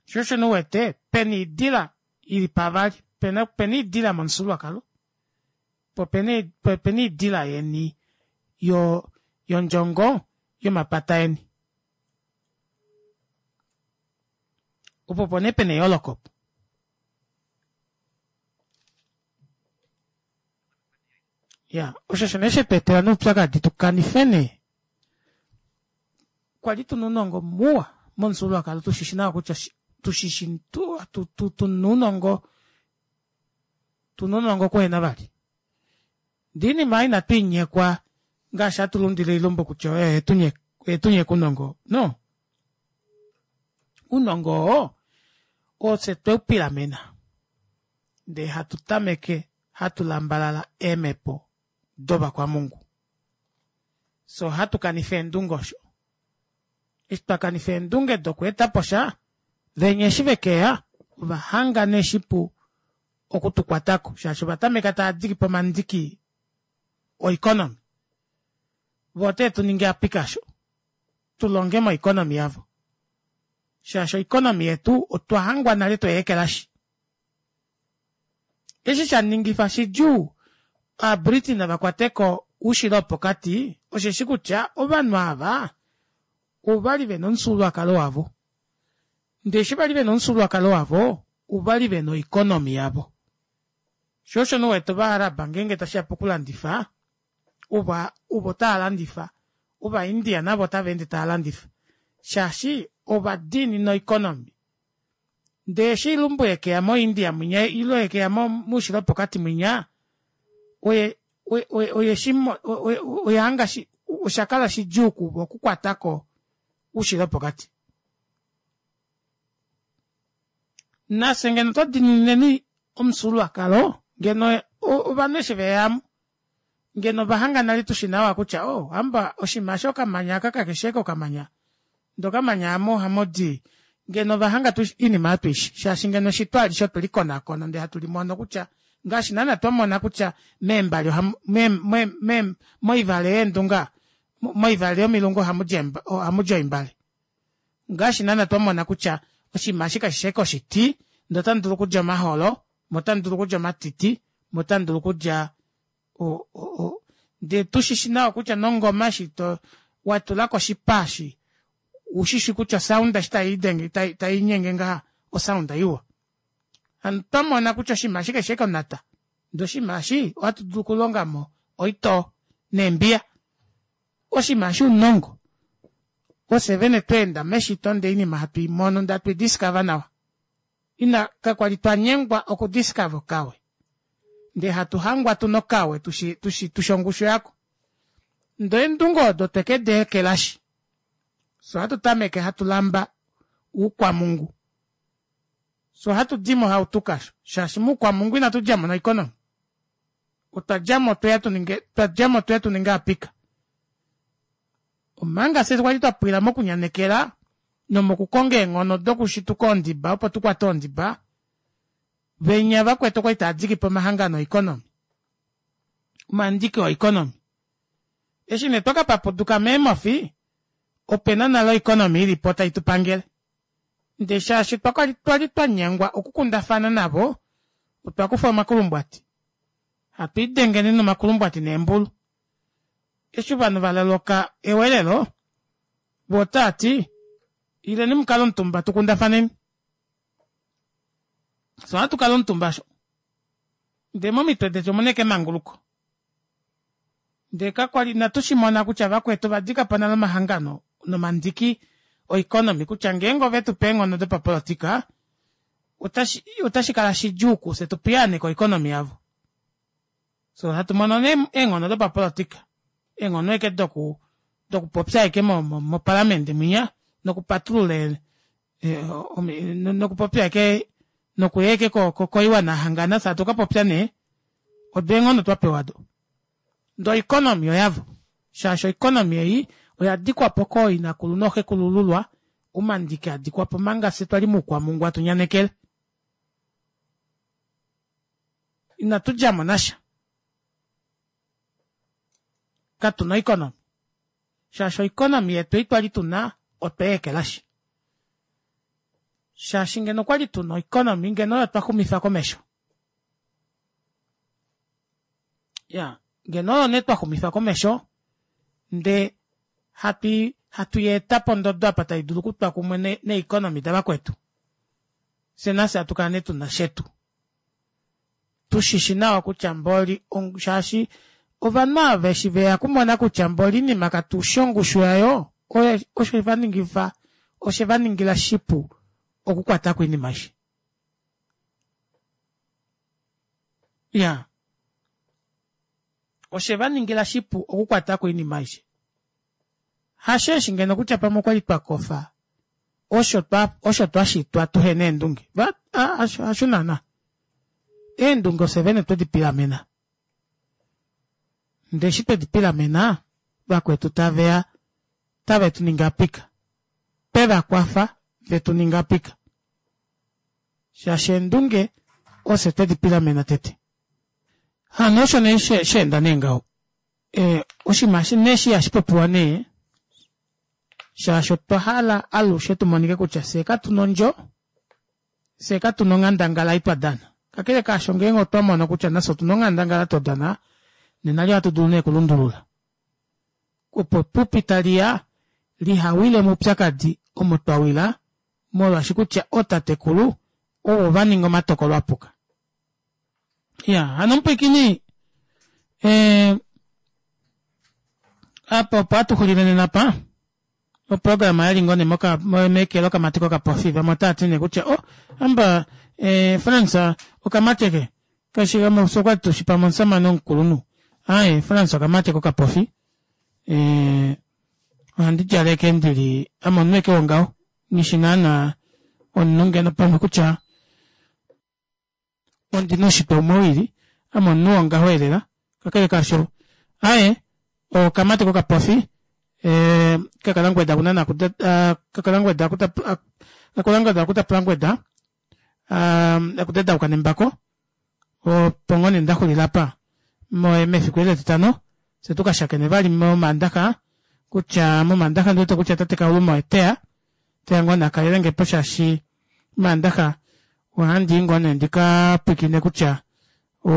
Sho osho nee u wete pena oidila ili pavali, pena pena oidila momufyuululwakalo, po opena opena oidila yeni yo yondjongo yomapata eni. Opo opo nee pena eyooloko opo. Ya, osho osho nee shetu etela noupyakadi tu kanife nee. Kwa li tuna ounongo muwa momufyuululwakalo tu shishi nawa kutya tu shishi tu, tu, tu, tuna ounongo tuna ounongo kuhena vali. Ndee oinima ei inatu i nyekwa ngaashi hatu lundile oilumbu kutya oyo oye tu nyeka ounongo. No. Ounongo oo ofye tweu pilamena ndee hatu tameke hatu lambalala eemhepo dovakwamungu. Fye ohatu kanifa eendunge osho. Eshi twa kanifa eendunge dokweeta po sha, venya eshi ve ke ya, ova hanga nee shipu oku tu kwata ko, shaashi ova tameka tava diki po omandiki oeconomy. Vo otee tu ningi apika sho, tu longe moeconomy yavo. Shaashi oeconomy yetu otwa hangwa nale twei ekelashi. Eshi sha ningifa shidjuu Aabritina va kwate ko Oushilo woPokati osheshi kutya ovanhu ava ova li ve na omufyuululwakalo wavo. Ndele eshi va li ve na omufyuululwakalo wavo, ova li ve na oikonomi yavo. Sho osho nee u wete Ovaaraba ngeenge tashi ya pokulandifa, ova ovo tava landifa, Ovaindia navo otava ende tava landifa shaashi ova diinina oikonomi. Ndee eshi ilumbu yekeya moIndia mwinya ile yekeya moushilo wopokati mwinya, oye oye shi oye hanga shi osha kala shidjuu kuvo okukwata ko oushilo wopokati. Nafye ngeno twa diinineni omufyuululwakalo ngeno ovanhu eshi veya mu ngeno ova hanga nale tushi nawa kutya oh hamba oshinima eshi okamanya aka kakeshi ashike okamanya ndee okamanya amu ohamu di ngeno ova hanga tu oinima oyo tuishi shaashi ngeno eshito alishe otwe likonakona ndee hatu limono kutya ngaashi naana twamona kutya meembali ohamu me, me, me, moivale yeendunga moivale yomilungu ohamu di oimbale ngaashi naana twamona kutya oshinima eshi kashishi ashike oshiti ndee otamu dulu okulya omaholo mo otamu dulu okulya omatiti mo otamu dulu okulya o, o, o, ndee tu shi shi nawa kutya nongoma eshi to wa tula koshipa eshi u shi shi kutya osaunda eshi tai denge tai, tai nyenge ngaha osaunda iwa. Hano twa mona kutya oshinima eshi kashi shi onhata ndee oshinima eshi ohatu dulu okulonga mo oitoo neembiya. Oshinima eshi ounongo. Ofye vene twa enda meshito ndee oinima hatu i mono ndee hatu i discover nawa. Ina, kakwa li twa nyengwa okudiscover okawe. Ndee hatu hangwa tu na okawe tushi, tushi, tushi ongushu yako. Ndee eendunge odo otwe ke di ekelashi. Fye ohatu tameke hatu lamba oukwamungu. Fye ohatu di mohautuka shaashi moukwamungu inatu dja mo noikonomi. Otwa dja mo tweya tu ninge, twa dja mo tweya tu ninge apika. Omanga fye kwali twa pwila mokunyanekela nomokukonga eenghono dokushituka oondiba opo tu kwate oondiba, venya vakwetu okwali tava diki po omahangano oikonomi, omandiki oikonomi. Eshi nee twa ka papuduka meemofi, ope na nale oikonomi i li po tai tu pangele. Ndee shaashi twa twali twa nyengwa okukundafana navo, otwa kufa omakulumbwati, hatu idengeni nomakulumbwati neembulu. Eshi ovanhu va loloka ewelelo, vo otava ti, Ileni mu kale omutumba tu kundafaneni. Fye ohatu kala omutumba osho. Ndee momitwe detu omu na ashike emanguluko. Ndee kakwa li inatu shi mona kutya vakwetu ova dika po nale omahangano nomandiki oikonomi kutya ngeenge ove tu pe eenghono dopapolotika, otashi, otashi kala shidjuu kufye tu piyaaneke oikonomi yavo. So hatu mono nee eenghono dopapolotika, eenghono eke doku dokupopya eke mopalamende mwinya nokupatulula nokupopya eke nokuya eke koiwana yahangana fye hatu ka popya nee odo eenghono twa pewa do. Ndee oikonomi oyavo shaashi oikonomi ei oya dikwa po kooinakulu nooxekulululwa omandiki a dikwa po manga fye twali muukwamungwa tu nyanekele. Inatu dja mo nasha. Katu na oikonomi. Shaashi oikonomi yetu ei twali tu na otwe i ekelashi. Shaashi ngeno okwali tu na oikonomi ngeno oyo twa xumifa komesho. Ya, ngeno oyo nee twa xumifa komesho ndee hatu hatu i eta pondodo apa tai dulu okutwa kumwe neeikonomi davakwetu. Fye nafye hatu kala nee tu na shetu. Tu shi shi nawa kutya mboli shaashi. Ovanhu ava eshi veya okumona kutya mboli oinima katu shi ongushu yayo, osho va ningifa, oshe va ningila shipu okukwata ko oinima aishe. Ya. Oshe va ningila shipu okukwata ko oinima aishe. Hasho eshi ngeno kutya pamwe okwa li twa kofa osho twa, osho twa shitwa tuhe na eendunge. Va, hasho, hasho naana. Eendunge ofye vene twe di pilamena. Ndee eshi twe di pilamena, vakwetu tave ya tave tu ningi apika. Twe va kwafa ve tu ninge apika. Shaashi eendunge ofye twe di pilamena tete. Hano osho nee sha enda nee ngaho. E, oshinima eshi nee eshi ihashi popiwa nee, shaashi otwa hala alushe tu monike kutya fye katu na ondjo, fye katu na onghandangala ei twa dana. Kakele kaasho ngeenge otwa mono kutya nafye otu na onghandangala twa dana, nena li ohatu dulu nee okulundulula opo epupi tali ya liha wile moupyakadi omo twa wila molwaashi kutya ootatekulu ovo va ninga omatokolo a puka. Ya, hano omupwiikini eh, apa opo hatu xulile nena pa oprograma yali ngoo nee moka meke lokamati kokapofi vamwe otava ti nee kutya oh amba eh, Frans okamati eke kashi gamwe okwali tushi pamwe omusamane omukulunhu aye Frans okamati kokapofi eh, ohandi djaleke ndili ame omunhu eke wongaho nghi naana omunhu ngeno pamwe kutya ondi na oushitwe umwe wili ame omunhu wongaho elela kakele kaasho aye okamati kokapofi eh, kakalangweda kuna nakuda ah, kakalangweda akuta ah, kakalangweda akuta plangweda ah, akudedauka nembako opo ngoo nee nda xulila apa mefiku eli etitano fye tu ka shakene vali momaandaxa kutya momaandaxa ndi wete kutya tate Kauluma oye teya teya ngoo nee akalele nge po shaashi omaandaxa ohandi i ngoo nee ndi ka pwilikine kutya o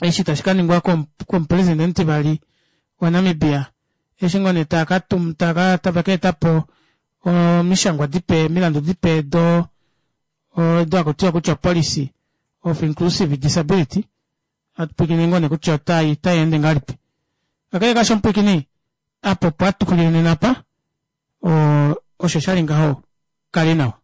eshi tashi ka ningwa komupresidente omutivali waNamibia eshi ngoo nee tava ka tum tava tava ka eta po omishangwa dipe omilandu dipe do odo haku tiwa kutya policy of inclusive disability hatu pwilikine ngoo nee kutya otai otai ende ngahelipi kakele kaasho omupwilikini apa opo hatu xulile nena apa osho sha li ngaho kali nawa.